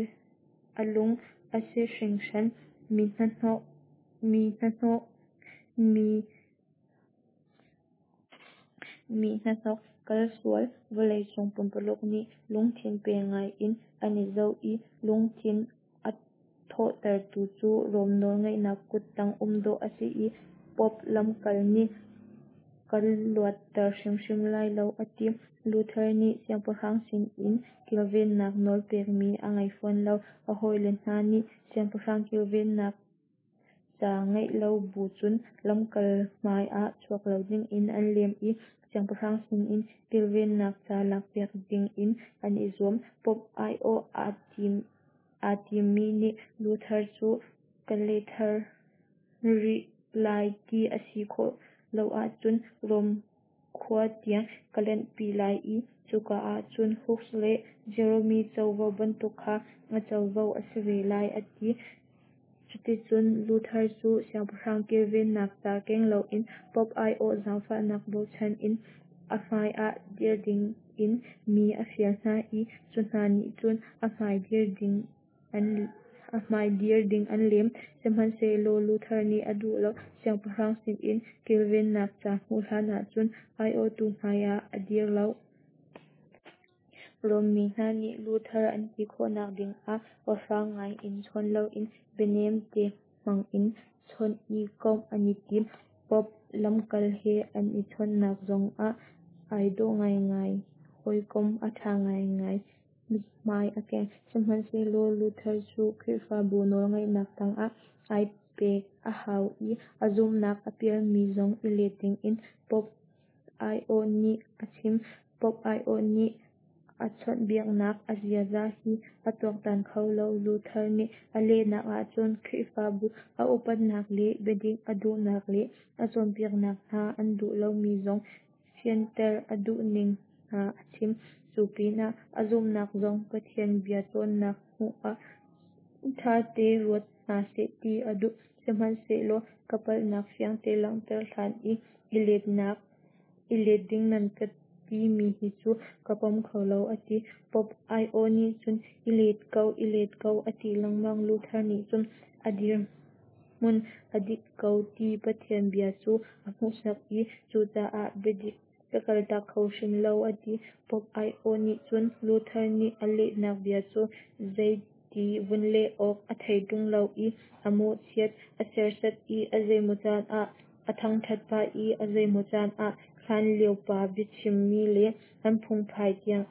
A: a lung a si hringhran. Mi hnahnawh mi hnahnawh mi mi hnahnawk kalsual vawleicung pumpululuk nih lungthin pe ngai in an i zoh i lungthin a thawhtertu cu Rom nawlngeihnak kuttang um dawh a si i Pope lamkal nih kan luatter hrimhrim lai lo a ti. Luther nih siangpahrang sin in kilvennak nawl pekmi a ngei fawn lo. A hawile hna nih siangpahrang kilvennak ca ngeih lo bu cun lamkal hmai ah chuak lo dingin an lem i siangpahrang sin in kilvennak ca lakpiak dingin an i zuam. Pope aiawh aa timmi nih Luther cu ka lethar rih lai ti a si khawh lo ahcun Rom khua tiang ka lanhpi lai i cuka ahcun Hus le Jerome covo bantuk kha na covo a si ve lai a ti. Cuticun Luther cu siangpahrang kilvennak ca keng loin Pope aiawh zaangfahnak bochan in a hmai ah dir dingin mi a fial hna i cu hna nih cun a hmai dir ding an lem. Sihmanhsehlaw Luther nih a duh lo. Siangpahrang sinin kilvennak ca hmuh hlan ahcun aiawhtu hmai ah a dir lo. Rom mi hna nih Luther an ti khawhnak dingah awhrang ngai in chawn loin bianem te hmang in chawnh i komh an i tim. Pope lamkal he an i chawnhnak zongah ai dawh ngaingai, hawikom a ṭha ngaingai mithmai a keng. Sihmanhsehlaw Luther cu Khrihfabu nawlngeihnak tangah ai pek a hau i a zumhnak a pialmi zong i let dingin Pope aiawh nih a chim. Pope aiawh nih a chawnhbiaknak a ziaza hi a tuaktan kho lo. Luther nih a lehnak ahcun Khrihfabu a upatnak le biadik a duhnak le a cawnpiaknak hna an duh lomi zong fianter a duhning hna a chim. Cu pinah a zumhnak zong Pathian bia cawnnak hnu ah ṭhate ruat hna seh ti a duh. Sihmanhsehlaw ka palhnak fiangte langhter hlan i i let ding nan ka timi hi cu ka pom kho lo a ti. Pope aiawh nih cun i let ko, i let ko a ti lengmang. Luther nih cun a dirhmun a dik ko ti Pathian bia cu a hmuhsak i cucaah biadik ka kaltak kho hrim lo a ti. Pope aiawh nih cun Luther nih a lehnak bia cu zeiti vun leh awk a thei ṭung lo i a mawhchiat, a serhsat i a zeimaw caan ah a thangṭhat pah i a zeimaw caan ah hlanlio pa biachimmi le an phungphai tiang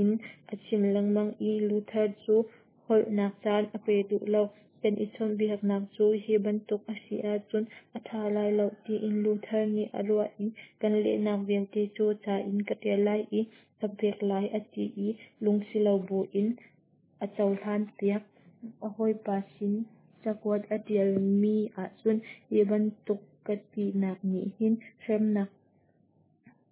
A: in a chim lengmang i Luther cu holhnak caan a pe duh lo. Kan i chawnhbiaknak cu hi bantuk a si ahcun a ṭha lai lo tiin Luther nih a ruah i kan lehnak vialte cu ca in ka ṭial lai i ka pek lai a ti i lungsilo buin a cohlanpiak. A hawipa sin cakuat a ṭialmi ahcun hi bantuk ka tinak nih hin hremnak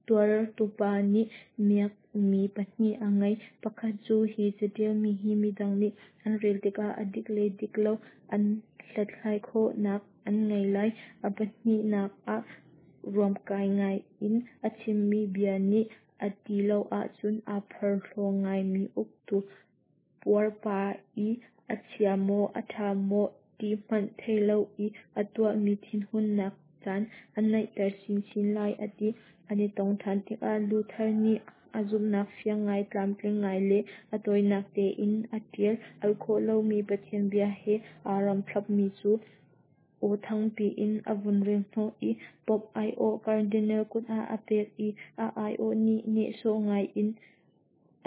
A: tuartupa nih miakmi pahnih a ngei. Pakhat cu hi caṭialmi hi midang nih an rel tikah a dik le dik lo an hlathlai khawhnak an ngei lai. A pahnihnak ah ruamkai ngai in a chimmi bia nih a ti lo ahcun aa porhlaw ngaimi uktu puarpa i a chia maw a ṭha maw ti hmanh thei lo i a tuahmi thinhunnak caan a naihter chinchin lai a ti. An i tong ṭhan tikah Luther nih a zumhnak fiang ngai, tlamtling ngai le a tawinak tein a ṭial. Al khawh lomi Pathian bia he aa ramthlapmi cu aw thangpi in a vun rel hnawh i Pope aiawh Cardinal kut ah a pek i a aiawh nih nehsawh ngai in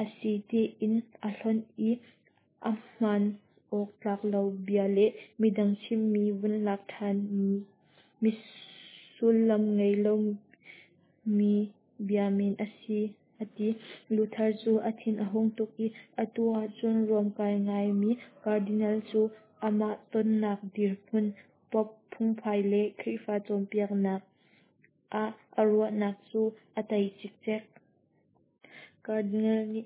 A: a si tiin a hlonh i a hmaan awk tlak lo bia le midang chimmi vun lak ṭhanmi sullam ngei lomi bia men a si a ti. Luther cu a thin a hung tuk i atu ahcun ruamkai ngaimi Cardinal cu amah tonnak dirhmun, Pope phungphai le Khrihfa cawnpiaknak ah a ruahnak cu a tei cikcek. Cardinal nih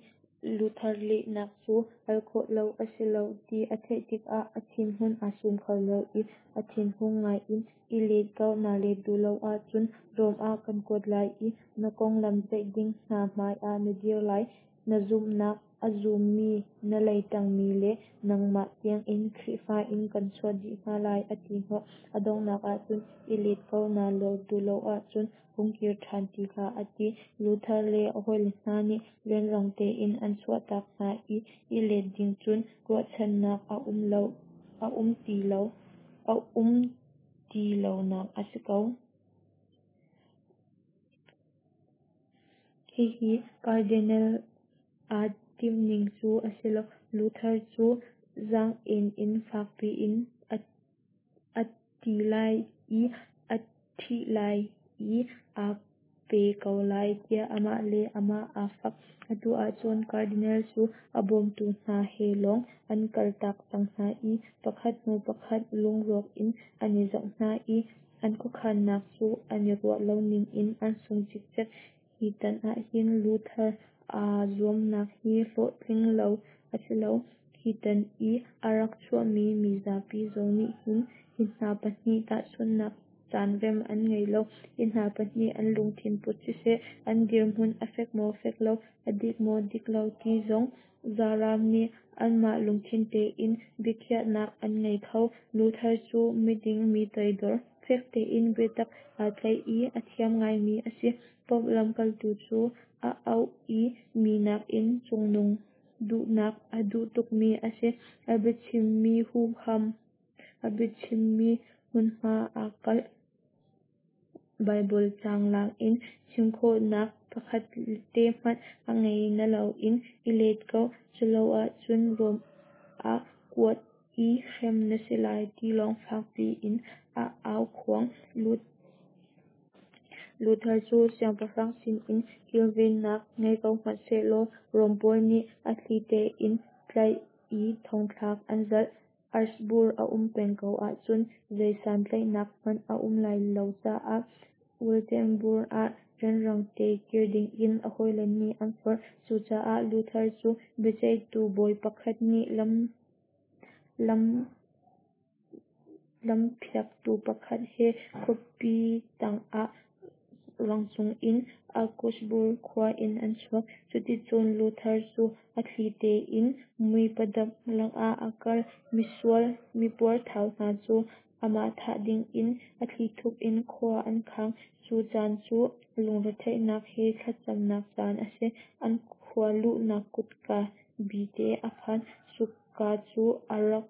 A: Luther lehnak cu al khawh lo a si lo ti a theih tikah a thinhun aa sum kho lo i a thinhung ngai in i let ko, naa let duh lo ahcun Rom ah kan kuat lai i na konglam ceih ding hna hmai ah na dir lai. Na zumhnak a zummi na leiṭangmi le nangmah tiangin Khrihfa in kan chuah dih hna lai a ti hnawh. A donghnak ahcun i let ko, naa let duh lo ahcun hung kir ṭhan ti hlah a ti. Luther le a hawile hna nih rianrang tein an chuahtak hna i i let ding cun ruahchannak a um lo. a um ti lo a um ti lonak a si ko. Hihi Cardinal aa timhning cu a si lo. Luther cu zaang-en in fak piin a ti lai i a thih lai i aa pe ko lai tiah amah le amah aa fak. Atu ahcun Cardinal cu a bawmtu hna he lawng an kaltak cang hna i pakhat hnu pakhat lungrawk in an i zoh hna i an khuakhannak cu an i ruah lo ning in an sung cikcek. Hi tan ahhin Luther aa zuamnak hi hlawhtling lo a si lo. Hi tan i a rak chuakmi mizapi zong nih hin hi hna pahnih tahchunhnak caan rem an ngei lo. Hi hna pahnih an lungthin put siseh, an dirhmun a fek maw fek lo, a dik maw dik lo ti zong zaran nih anmah lungthin tein biakhiahnak an ngei kho. Luther cu miding, mi toidor, fek tein biatak aa tlaih i a thiam ngaimi a si. Pope lamkaltu cu a auh i mi nakin cungnung duhnak a duh tukmi a si. A biachimmi huham a biachimmi hmunhma aa kalh. Baibal caang lak in chim khawhnak pakhat te hmanh a ngei na loin i let ko, culoahcun Rom ah kuat i hrem na si lai ti lawng fak piin a aukhuang. Luther cu siangpahrang sinin kilvennak ngei ko hmanh sehlaw Rom pawl nih a thli tein tlaih i thongthlak an zalh. Augsburg a um peng ko ahcun zei santlaihnak hmanh a um lai lo caah Wittenburg ah rianrang te kir dingin a hawile nih an forh. Cucaah Luther cu biaceihtu bawi pakhat nih lam lam lampiaktu pakhat he khuapi tangah rangcung in Augsburg khua in an chuak. Cuticun Luther cu a thli tein muipadap lakah a kal. Misual mipuarthau hna cu amah thah dingin a thlithup in khua an khang. Cu caan cu lungretheihnak he thlacamnak caan a si. An khua luhnak kutka bite a phan. Cuka cu a rak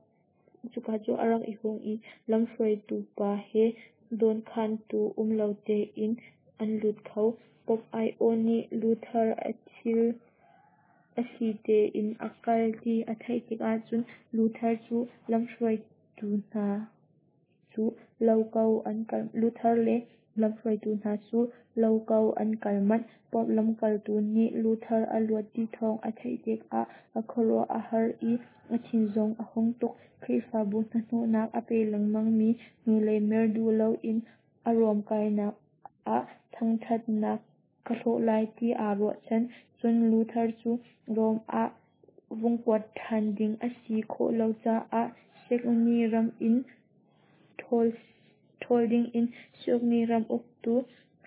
A: cuka cu a rak i hung i lamhruaitu pa he dawnkhantu um lo tein an lut kho. Pope aiawh nih Luther a thil a thli tein a kal ti a theih tikah cun Luther cu lamhruaitu hna cu lo ko an kal Luther le lamhruaitu hna cu lo ko an kal manh. Pope lamkaltu nih Luther a luat ti thawng a theih tikah a khuaruah a har i a thin zong a hung tuk. Khrihfabu hnahnawhnak a pe lengmangmi hnulei mer duh loin a ruamkainak ah thangṭhatnak ka hlawh lai ti aa ruahchan. Cun Luther cu Rom ah vung kuat ṭhan ding a si khawh lo caah Saxony ram in ṭhawl dingin Saxony ram uktu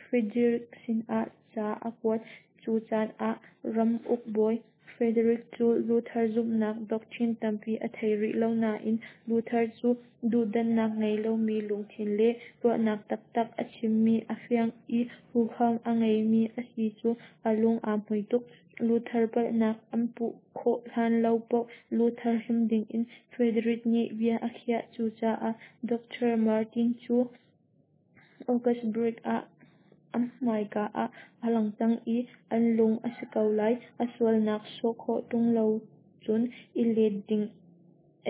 A: Frederick sinah ca a kuat. Cu caan ah ramuk bawi Frederick cu Luther zumhnak doctrine tampi a thei rih lo nain Luther cu duhdanhnak ngei lomi lungthin le ruahnak taktak a chimmi a fiang i huham a ngeimi a si cu a lung aa hmui tuk. Luther palhnak an puh khawh hlan lo paoh Luther hrem dingin Frederick nih bia a khiah. Cucaah Doctor Martin cu Augsburg ah an hmaika ah a lang cang i an lung a si ko lai. A sualnak sawh khawh ṭung lo cun i let ding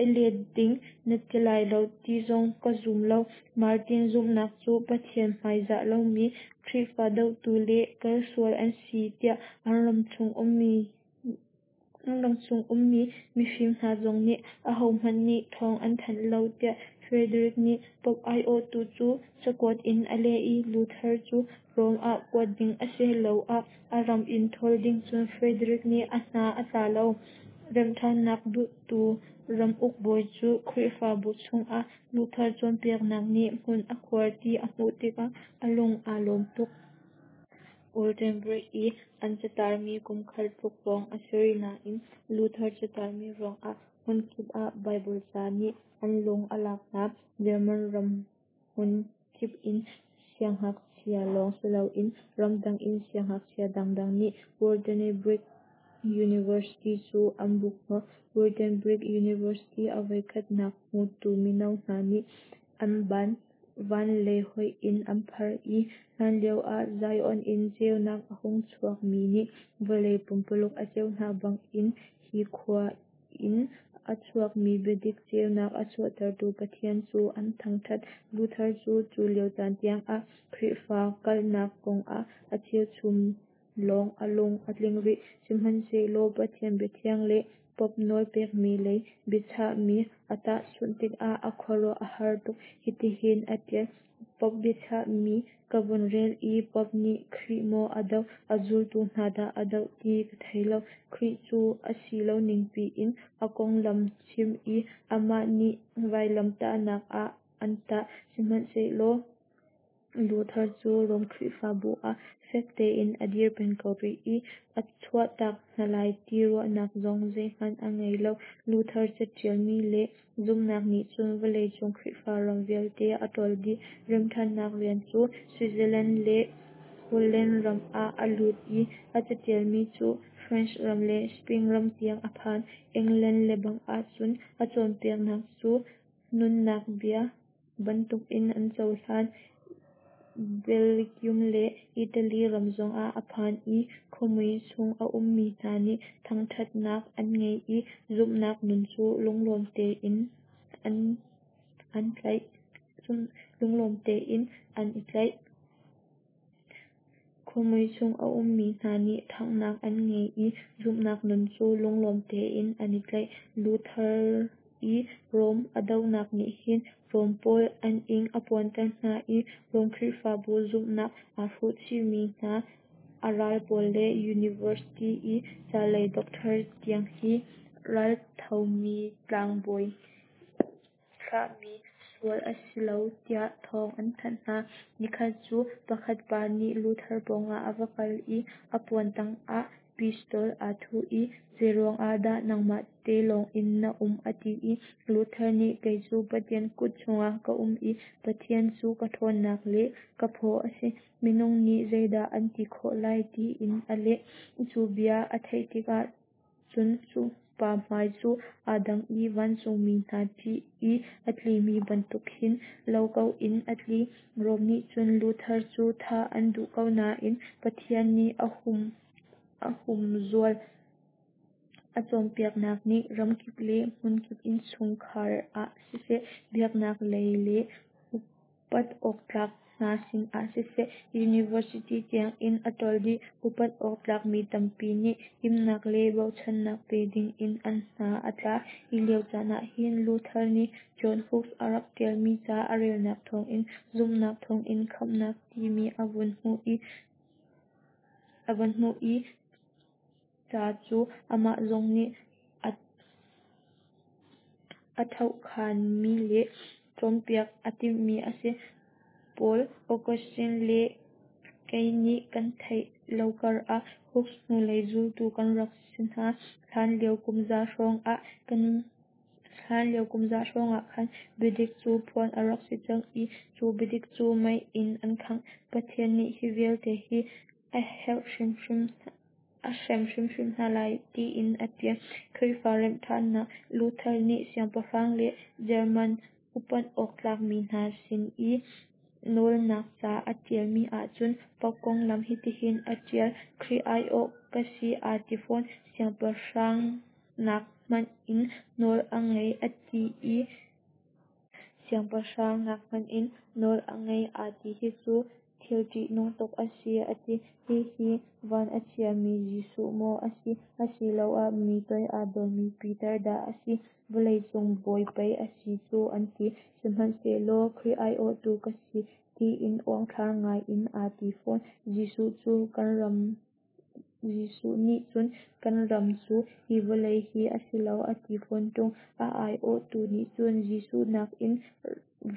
A: i let ding na ti lai lo ti zong ka zum lo. Martin zumhnak cu Pathian hmaizah lomi Khrihfa dohtu le kalsual an si tiah an ramchung ummi an ramchung ummi mifim hna zong nih ahohmanh nih thawng an thanh lo tiah Frederick nih Pope aiawhtu cu cakuat in a leh i Luther cu Rom ah kuat ding a si loah a ram in ṭhawl ding cun Frederick nih a hna a tla lo. Remhṭhannak duhtu ramuk bawi cu Khrihfabu chungah Luther cawnpiaknak nih hmun a khuar ti a hmuh tikah a lung aa lawm tuk. Wittenberg i an catarmi kum khat tluk hrawng a si rih nain Luther catarmi ruangah hmunkip ah Baibal ca nih an lung a lak hna. German ram hmun kip in siangngakchia lawng siloin ramdang in siangngakchia dangdang nih Wittenberg University cu an buk hnawh. Wittenberg University a voikhatnak hmutu mino hna nih an ban van lei hoih in an phar i hlanlio ah Zion in ceunak a hung chuak mi nih vawlei pumpululuk a ceuh hna bangin hi khua in a chuakmi biadik ceunak a chuahtertu Pathian cu an thangṭhat. Luther cu cu lio caan tiangah Khrihfa kalnak kongah a cheuchum lawng a lung a tling rih. Sihmanhsehlaw Pathian biathiang le Pope nawl pekmi lei biachahmi a tahchunh tikah a khuaruah a har tuk. Hitihin a ṭial: Pope biachahmi ka vun rel i Pope nih Khrih maw a doh, a zultu hna dah a doh ti ka thei lo. Khrih cu a si lo ningpi in a konglam chim i amah nih vailamtahnak ah an tah. Sihmanhsehlaw Luther cu Rom Khrihfabu ah fek tein a dir peng ko rih i a chuahtak hna lai ti ruahnak zong zeihmanh a ngei lo. Luther caṭialmi le zumhnak nih cun vawleicung Khrihfa ram vialte a ṭawl dih. Remhṭhannak rian cu Switzerland le Holland ram ah a lut i a caṭialmi cu French ram le Spain ram tiang a phan. England lebang ahcun a cawnpiaknak cu nunnak bia bantukin an cohlan. Belgium le Italy ram zongah a phan i khuamui chung a ummi hna nih thangṭhatnak an ngei i zumhnak nun cu lunglawm tein an an tlaih. Lunglawm tein an i tlaih. Khuamui chung a ummi hna nih ṭhanghnak an ngei i zumhnak nun cu lunglawm tein an i tlaih. Luther i Rom a dohnak nih hin Rom pawl an ing a puanter hna i Rom Khrihfabu zumhnak aa hruhchihmi hna a ral pawl le University i ca lei doctor tiang hi ralthomi tlangbawi thlahmi sual a si lo tiah thawng an thanh hna. Nikhat cu pakhat pa nih Luther pawngah a va kal i a puan tangah pistol aa thuh i zeiruang ah dah nangmah te lawngin na um a ti i Luther nih kei cu Pathian kut chungah ka um i Pathian cu ka ṭhawnnak le ka phaw a si. Minung nih zeidah an ti khawh lai tiin a leh. Cu bia a theih tikah cun cu pa hmai cu aa dang i vancungmi hna ṭih i a tlimi bantuk khin lo ko in a tli. Rom nih cun Luther cu thah an duh ko nain Pathian nih a hum a humzual. A cawnpiaknak nih ramkip le hmunkip innchungkhar ah siseh, biaknak lei le upat awktlak hna sinah siseh, university tiangin a ṭawl dih. Upat awktlak mi tampi nih himnak le bochannak pe dingin an hna a tla. Hi lio caan ah hin Luther nih John Hus a rak ṭialmi ca a relnak thawngin zumhnak thawngin khamhnak timi a vun hmuh i a vun hmuh i ca cu amah zong nih a a thohkhanmi le cawnpiak a timhmi a si. Paul Augustine le kei nih kan theih lo karah Hus hnulei zultu kan rak si hna. Hlanlio kum za hrawng ah kan Hlanlio kum za hrawng ah khan biadik cu phuan a rak si cang i cu biadik cu mei in an khangh. Pathian nih hi vialte hi a herh hrimhrim a hrem hrimhrim hna lai tiin a ṭial. Khrihfa remhṭhannak Luther nih siangpahrang le German upat awk tlakmi hna sin i nawlnak ca a ṭialmi ahcun Pope konglam hitihin a ṭial: Khrih aiawh ka si aa ti fawn. Siangpahrang nak hmanh in nawl a ngei a ti i siangpahrang nak hmanh in nawl a ngei aa ti hi cu thil ṭihnung tuk a si a ti. Hihi van a chiami Jesuh maw a si, asiloah mi toi aa dormi Peter dah a si? Vawleicung bawi pei a si cu an ti. Sihmanhsehlaw Khrih aiawhtu ka si tiin uangthlar ngai in aa ti fawn. Jesuh cu kan ram Jesuh nih cun kan ram cu hi vawlei hi a si lo a ti fawn ṭung. A aiawhtu nih cun Jesuh nakin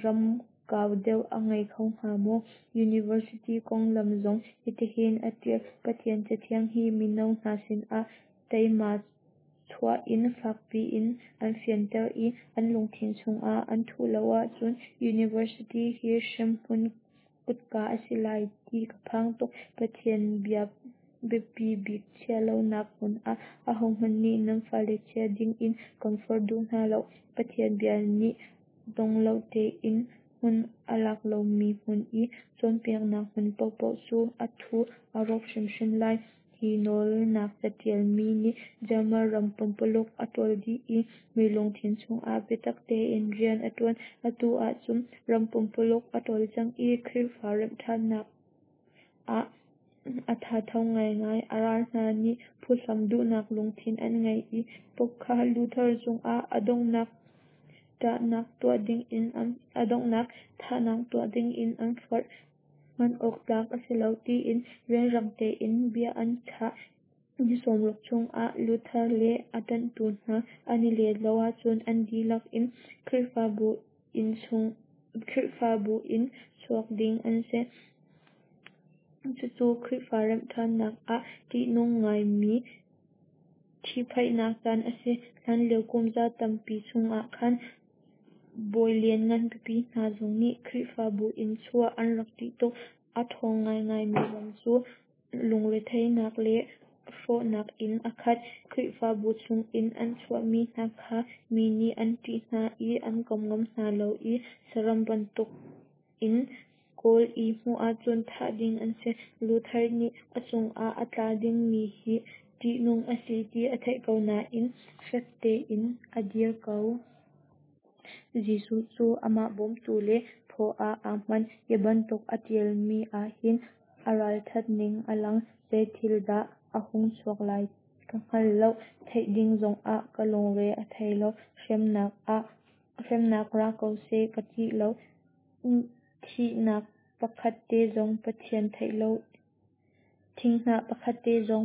A: ram kau deuh a ngei kho hnga maw? University konglam zong hitihin a ṭial: Pathian Cathiang hi mino hna sinah teima chuah in fakpi in an fianter i an lungthin chungah an thuh lo ahcun university hi hremhmun kutka a si lai ti ka phang tuk. Pathian bia biapi bik chiah lonak hmun ah ahohmanh nih nan fale chia ding in kan forh duh hna lo. Pathian bia nih dong lo tein hmun a lak lomi hmun i cawnpiaknak hmun paohpaoh cu a thu a rawk hrimhrim lai. Hi nawlnak catial mi nih German ram pumpululuk a tawl dih i mi lungthin chungah biatak tein rian a tuan. Atu ahcun ram pumpululuk a tawl cang i Khrihfa remhṭhannak ah a thatho ngaingai. A ral hna nih phuhlam duhnak lungthin an ngei i Pope kha Luther cungah a donghnak thahnak tuah dingin an forh. Hman awk tlak a si lo tiin rianrang tein bia an chah. Ni sawmruk chungah Luther le a ṭanhtu hna an i let lo ahcun an dihlak in Khrihfabu in chuak ding an si. Cucu Khrihfa remhṭhannak ah ṭihnung ngaimi ṭhihphaihnak caan a si. Hlanlio kumza tampi chungah khan bawi lianngan pipi hna zong nih Khrihfabu in chuah an rak ṭih tuk. A ṭhawng ngaingaimi ram cu lungretheihnak le hrawhnak in a khat. Khrihfabu chungin an chuahmi hna kha mi nih an ṭih hna i an kom ngam hna lo i saram bantukin kawl i hmuh ahcun thah ding an si. Luther nih a cungah a tla dingmi hi ṭihnung a si ti a theih ko nain fek tein a dir ko. Jesuh cu amah bawmtu le phaw ah aa hman. Hi bantuk a ṭialmi ahhin a ralṭhat ning a lang. Zei thil dah a hung chuak lai ka hngal lo. Theih ding zongah ka lungre a thei lo. Hremnak ra ko seh ka ṭih lo. Thinghnah pakhat te zong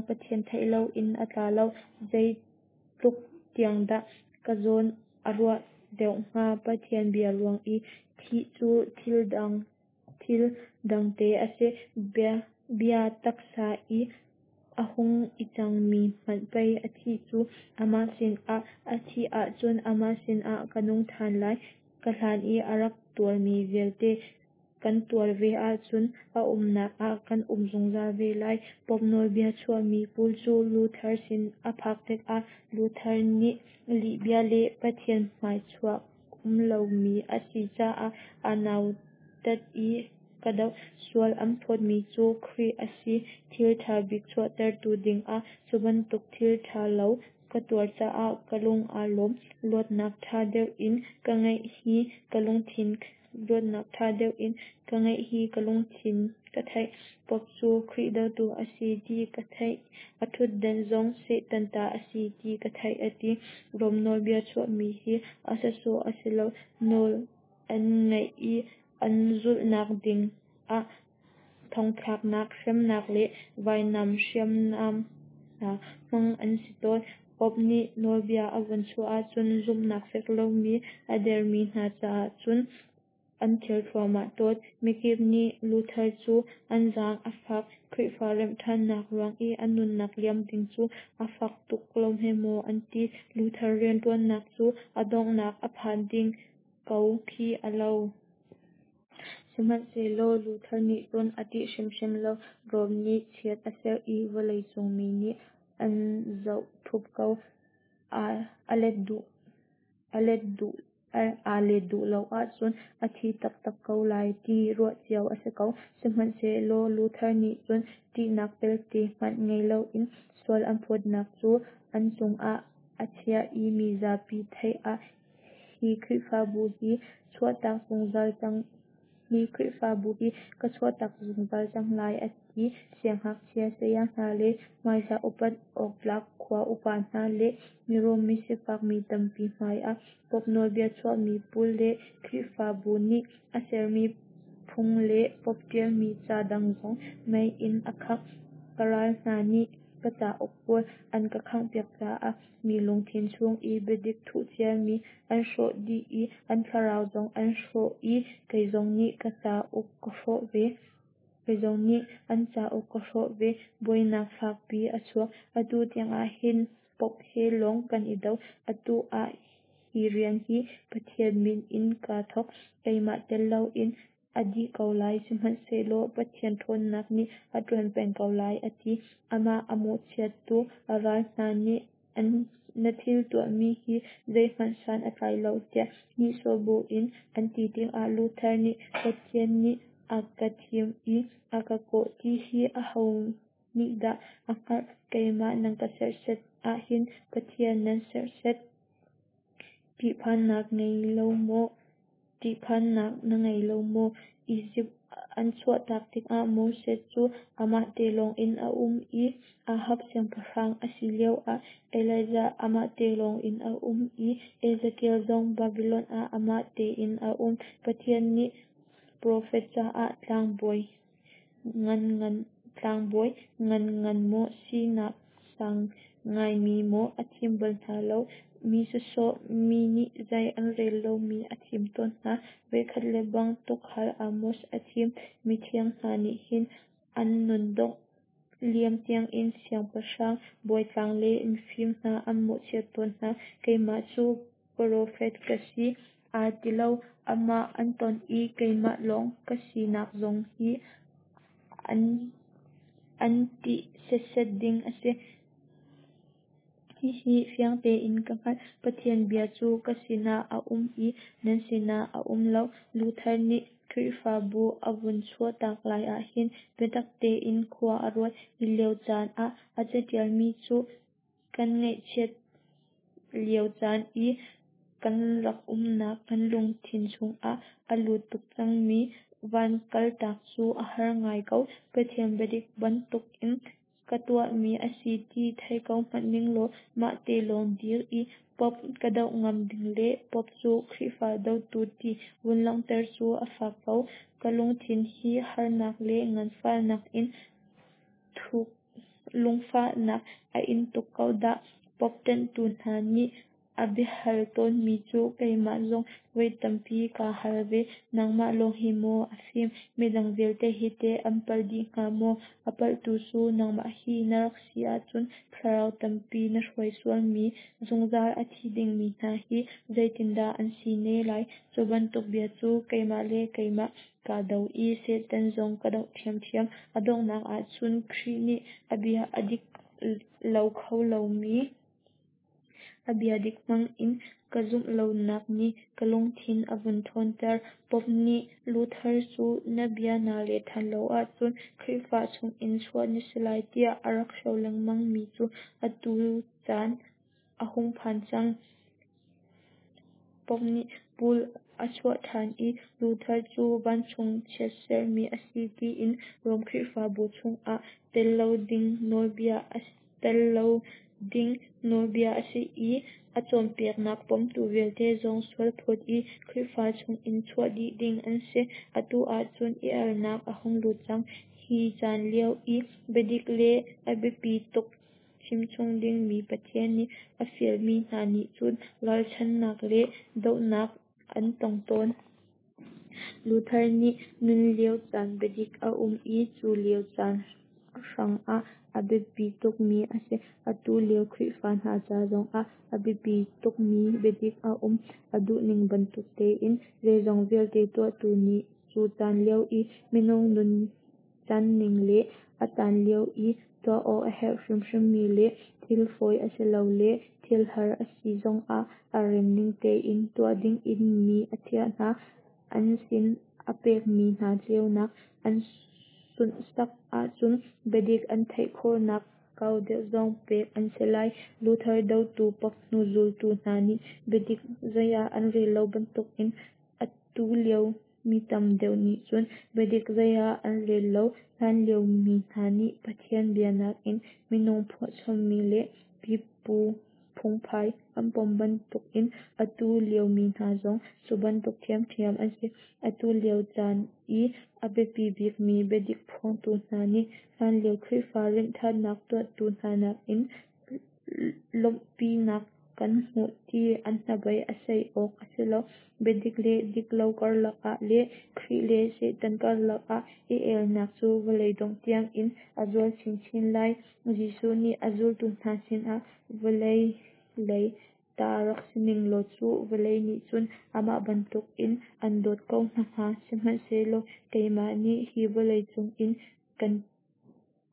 A: Pathian theih loin a tla lo. Zeitluk tiang dah ka zawn a ruah deuh hnga. Pathian bia ruang i thih cu thil dangte a si. Bia taksa i a hung i cangmi hmanh pei a thih cu. Amah sinah ka thih ahcun amah sinah ka nung ṭhan lai. Ka hlan i a rak tuarmi vialte kan tuar ve ahcun a umnak ah kan um zungzal ve lai. Pope nawlbia chuahmi pawl cu Luther sin a phak tikah Luther nih lihbia le Pathian hmaichuah um lomi a si caah a nautat i ka doh. Sual an phawtmi cu Khrih a si. Thil ṭha bik chuahtertu dingah cu bantuk thil ṭha lo ka tuar caah ka lung aa lawm. Luatnak ṭha deuh in ka ngeih hi ka lungthin Luatnak ṭha deuh in ka ngeih hi ka lungthin ka theih. Pope cu Khrih dotu a si ti ka theih. A ṭhutdan zong Satan ta a si ti ka theih a ti. Rom nawlbia chuahmi hi a sawsawh a si lo. Nawl an ngaih i an zulhnak ding ah thongthlaknak, hremnak le vainam hriamnam hna hman an si tawn. Pope nih nawlbia a vun chuah ahcun zumhnak fek lomi a dermi hna caah cun an ther thluahmah tawn. Mikip nih Luther cu an zaang a fak. Khrihfa remhṭhannak ruang i a nunnak liam ding cu a fak tuk lo hme maw an ti. Luther rianṭuannak cu a donghnak a phan ding ko khi a lo. Sihmanhsehlaw Luther nih cun a ṭih hrimhrim lo. Rom nih chiat a serh i vawleicung mi nih an zoh ṭhup ko. Aa let duh lo ahcun a thi taktak ko lai ti ruah cio a si ko. Sihmanhsehlaw Luther nih cun ṭihnak pelte hmanh ngei loin sual an phawtnak cu an cungah a chiah i mi zapi theih ah hi Khrihfabu hi chuahtak zungzal cang hi Khrihfabu hi ka chuahtak zungzal cang lai a ti. Siangngakchia saya hna le hmaizah upat awktlak khua upa hna le mirum misifak mi tampi hmaiah Pope nawlbia chuahmi pawl le Khrihfabu nih a sermi phung le Pope ṭialmi ca dang zong mei in a khangh. Ka ral hna nih ka cauk pawl an ka khanghpiak caah mi lungthin chung i biadik thuh ciami an hrawh dih i an thlarau zong an hrawh i kei zong nih ka cauk ka hrawh ve. Kei zong nih an cauk ka hrawh ve. Buainak fakpi a chuak. Atu tiangah hin Pope he lawng kan i do. Atu ah hi rian hi Pathian min in kaa thawk. Keimah tel loin a dih ko lai, sihmanhsehlaw Pathian ṭhawnnak nih a ṭuan peng ko lai, a ti. Amah a mawhchiattu a ral hna nih na thil tuahmi hi zeihmanh san a tlai lo tiah nihsawh buin an ti tikah Luther nih Pathian nih a ka thim i a ka kawh ti hi aho nih dah a hngalh? Keimah nan ka serhsat ahhin Pathian nan serhsat. Ṭihphannak ngei lo maw? Ṭihphannak na ngei lo maw? Izipt an chuahtak tikah Moses cu amah te lawngin a um i Ahab siangpahrang a si lioah Elijah amah te lawngin a um i Ezekiel zong Babylon ah amah tein a um. Pathian nih profet caah tlangbawi ngan ngan tlangbawi ngan ngan maw sinak sang ngaimi maw a thim bal hna lo. Mi sawsawh, mi nih zei an rel lomi a thim tawn hna. Voikhat lebang tuukhal Amos a thim. Mithiang hna nih hin an nun dongh liam tiangin siangpahrang, bawitlang le mifim hna an mawhchiat tawn hna. Keimah cu profet ka si aa ti lo. Amah an ton i keimah lawng ka sinak zong hi an an ṭih setset ding a si. Hihi fiang tein ka hngalh: Pathian bia cu ka sinah a um i nan sinah a um lo. Luther nih Khrihfabu a vun chuahtak lai ahhin biatak tein khua a ruat. Hi lio caan ah a caṭialmi cu kan ngaihchiat lio caan i kan rak umnak kan lungthin chungah a lut tuk cangmi van kaltak cu a har ngai ko. Pathian biadik bantukin ka tuahmi a si ti thei ko hmanh ninglaw mah te lawng dir i Pope ka doh ngam ding le Pope cu Khrihfa dotu ti vun langhter cu a fak ko. Ka lungthin hi harnak le nganfahnak in thuk lungfahnak a in tuk ko dah. Pope ṭanhtu hna nih a biahal tawnmi cu keimah zong voi tampi kaa hal ve. Nangmah lawng hi maw a fim? Midang vialte hi teh an palh dih hnga maw? A palhtu cu nangmah hi na rak si ahcun thlarau tampi na hruai sualmi, zungzal a thi dingmi hna hi zeitindah an si ne lai? Cu bantuk bia cu keimah le keimah kaa do i Satan zong ka doh ṭhiamṭhiam. A donghnak ahcun Khrih nih a bia a dik lo kho lomi a bia dik hmangin ka zumh lonak nih ka lungthin a vun ṭhawnter. Pope nih Luther cu na bia naa leh ṭhan lo ahcun Khrihfa chungin chuah na si lai tiah a rak hro lengmangmi cu atu caan a hung phan cang. Pope nih bull a chuah ṭhan i Luther cu vancung chiatserhmi a si tiin Rom Khrihfabu chungah tel lo ding nawlbia a tel lo ding nawlbia a si i a cawnpiaknak pomtu vialte zong sualphawt i Khrihfa chungin chuah dih ding an si. Atu ahcun i alnak a hung lut cang. Hi caan lio i biadik le a biapi tuk chimchung dingmi Pathian nih a fialmi hna nih cun ralchanhnak le dohnak an tong tawn. Luther nih nun lio caan biadik a um i cu lio caan hrangah a biapi tukmi a si. Atu lio Khrihfa hna ca zongah a biapi tukmi biadik a um. A duhning bantuk tein zeizong vialte tuahtu nih cu caan lio i minung nun canning le a caan lio i tuah awk a herh hrimhrimmi le thil fawi a si lo le thil har a si zongah a remning tein tuah dingin mi a thiah hna. An sin a pekmi hna ceunak an sunhsak ahcun biadik an theih khawhnak kau deuh zong pek an si lai. Luther dotu Pope hnu zultu hna nih biadik zei ah an rel lo bantukin atu lio mi tam deuh nih cun biadik zei ah an rel lo. Hlanlio mi hna nih Pathian bia nakin minung phuahchommi le pipu phungphai an pom bantukin atu lio mi hna zong cu bantuk ṭhiamṭhiam an si. Atu lio caan i a biapi bikmi biadik phuangtu hna nih hlanlio Khrihfa rinhṭhannak tuahtu hna nakin lawmhpinak kan hmuh ti an hnabei a sei awk a si lo. Biadik le diklo karlak ah le Khrih le Satan karlak ah i elnak cu vawlei dongh tiangin a zual chinchin lai. Jesuh nih a zultu hna sinah vawlei lei ta rak si ning law cu vawlei nih cun amah bantukin an dawt ko hna hnga. Sihmanhsehlaw keimah nih hi vawlei chungin kaan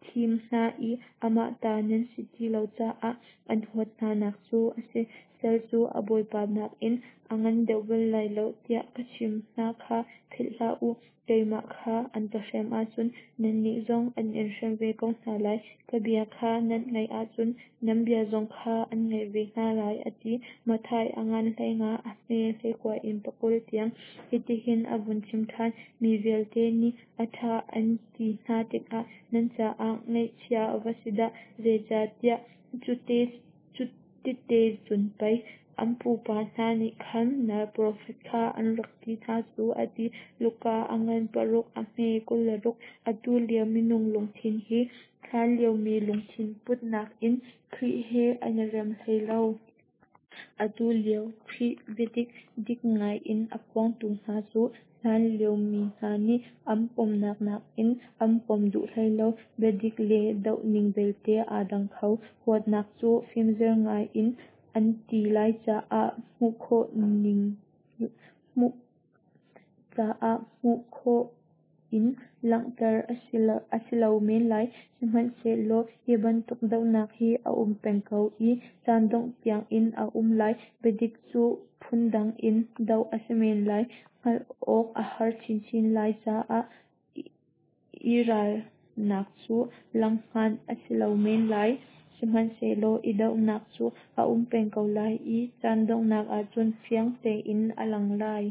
A: thim hna i amah ta nan si ti lo caah an huat hnanak cu a si. Sal cu a bawipa nakin a ngan deuh bal lai lo tiah ka chimh hna kha philh hlah u. Keimah kha an ka hrem ahcun nannih zong an in hrem ve ko hna lai. Ka bia kha nan ngaih ahcun nan bia zong kha an ngaih ve hna lai, a ti. Matthai a ngan hleinga, a hme hleikua in pakul tiang. Hitihin a vun chim ṭhan: Mi vialte nih a ṭha an ti hna tikah nan caah ngaihchia va si dah! Zeicahtiah cutite cun pei an pupa hna nih khan nal profet kha an rak ti hna cu, a ti. Luka a ngan paruk, a hme kul le ruk. Atu lio minung lungthin hi hlanlio mi lungthin put nakin Khrih he an i rem hlei lo. Atu lio Khrih biadik dik ngai in a phuangtu hna cu hlanlio mi hna nih an pomnak nakin an pom duh hlei lo. Biadik le dohning belte aa dang kho. Huatnak cu fimzer ngai in an ti lai caah hmuh khawh ning hmuh caah hmuh khawh in langhter a si lo men lai. Sihmanhsehlaw hi bantuk dohnak hi a um peng ko i caan dongh tiangin a um lai. Biadik cu phundang in doh a si men lai. Hngalh awk a har chinchin lai caah i ralnak cu langhngan a si lo men lai. Sihmanhsehlaw i dohnak cu a um peng ko lai i caan donghnak ahcun fiang tein a lang lai.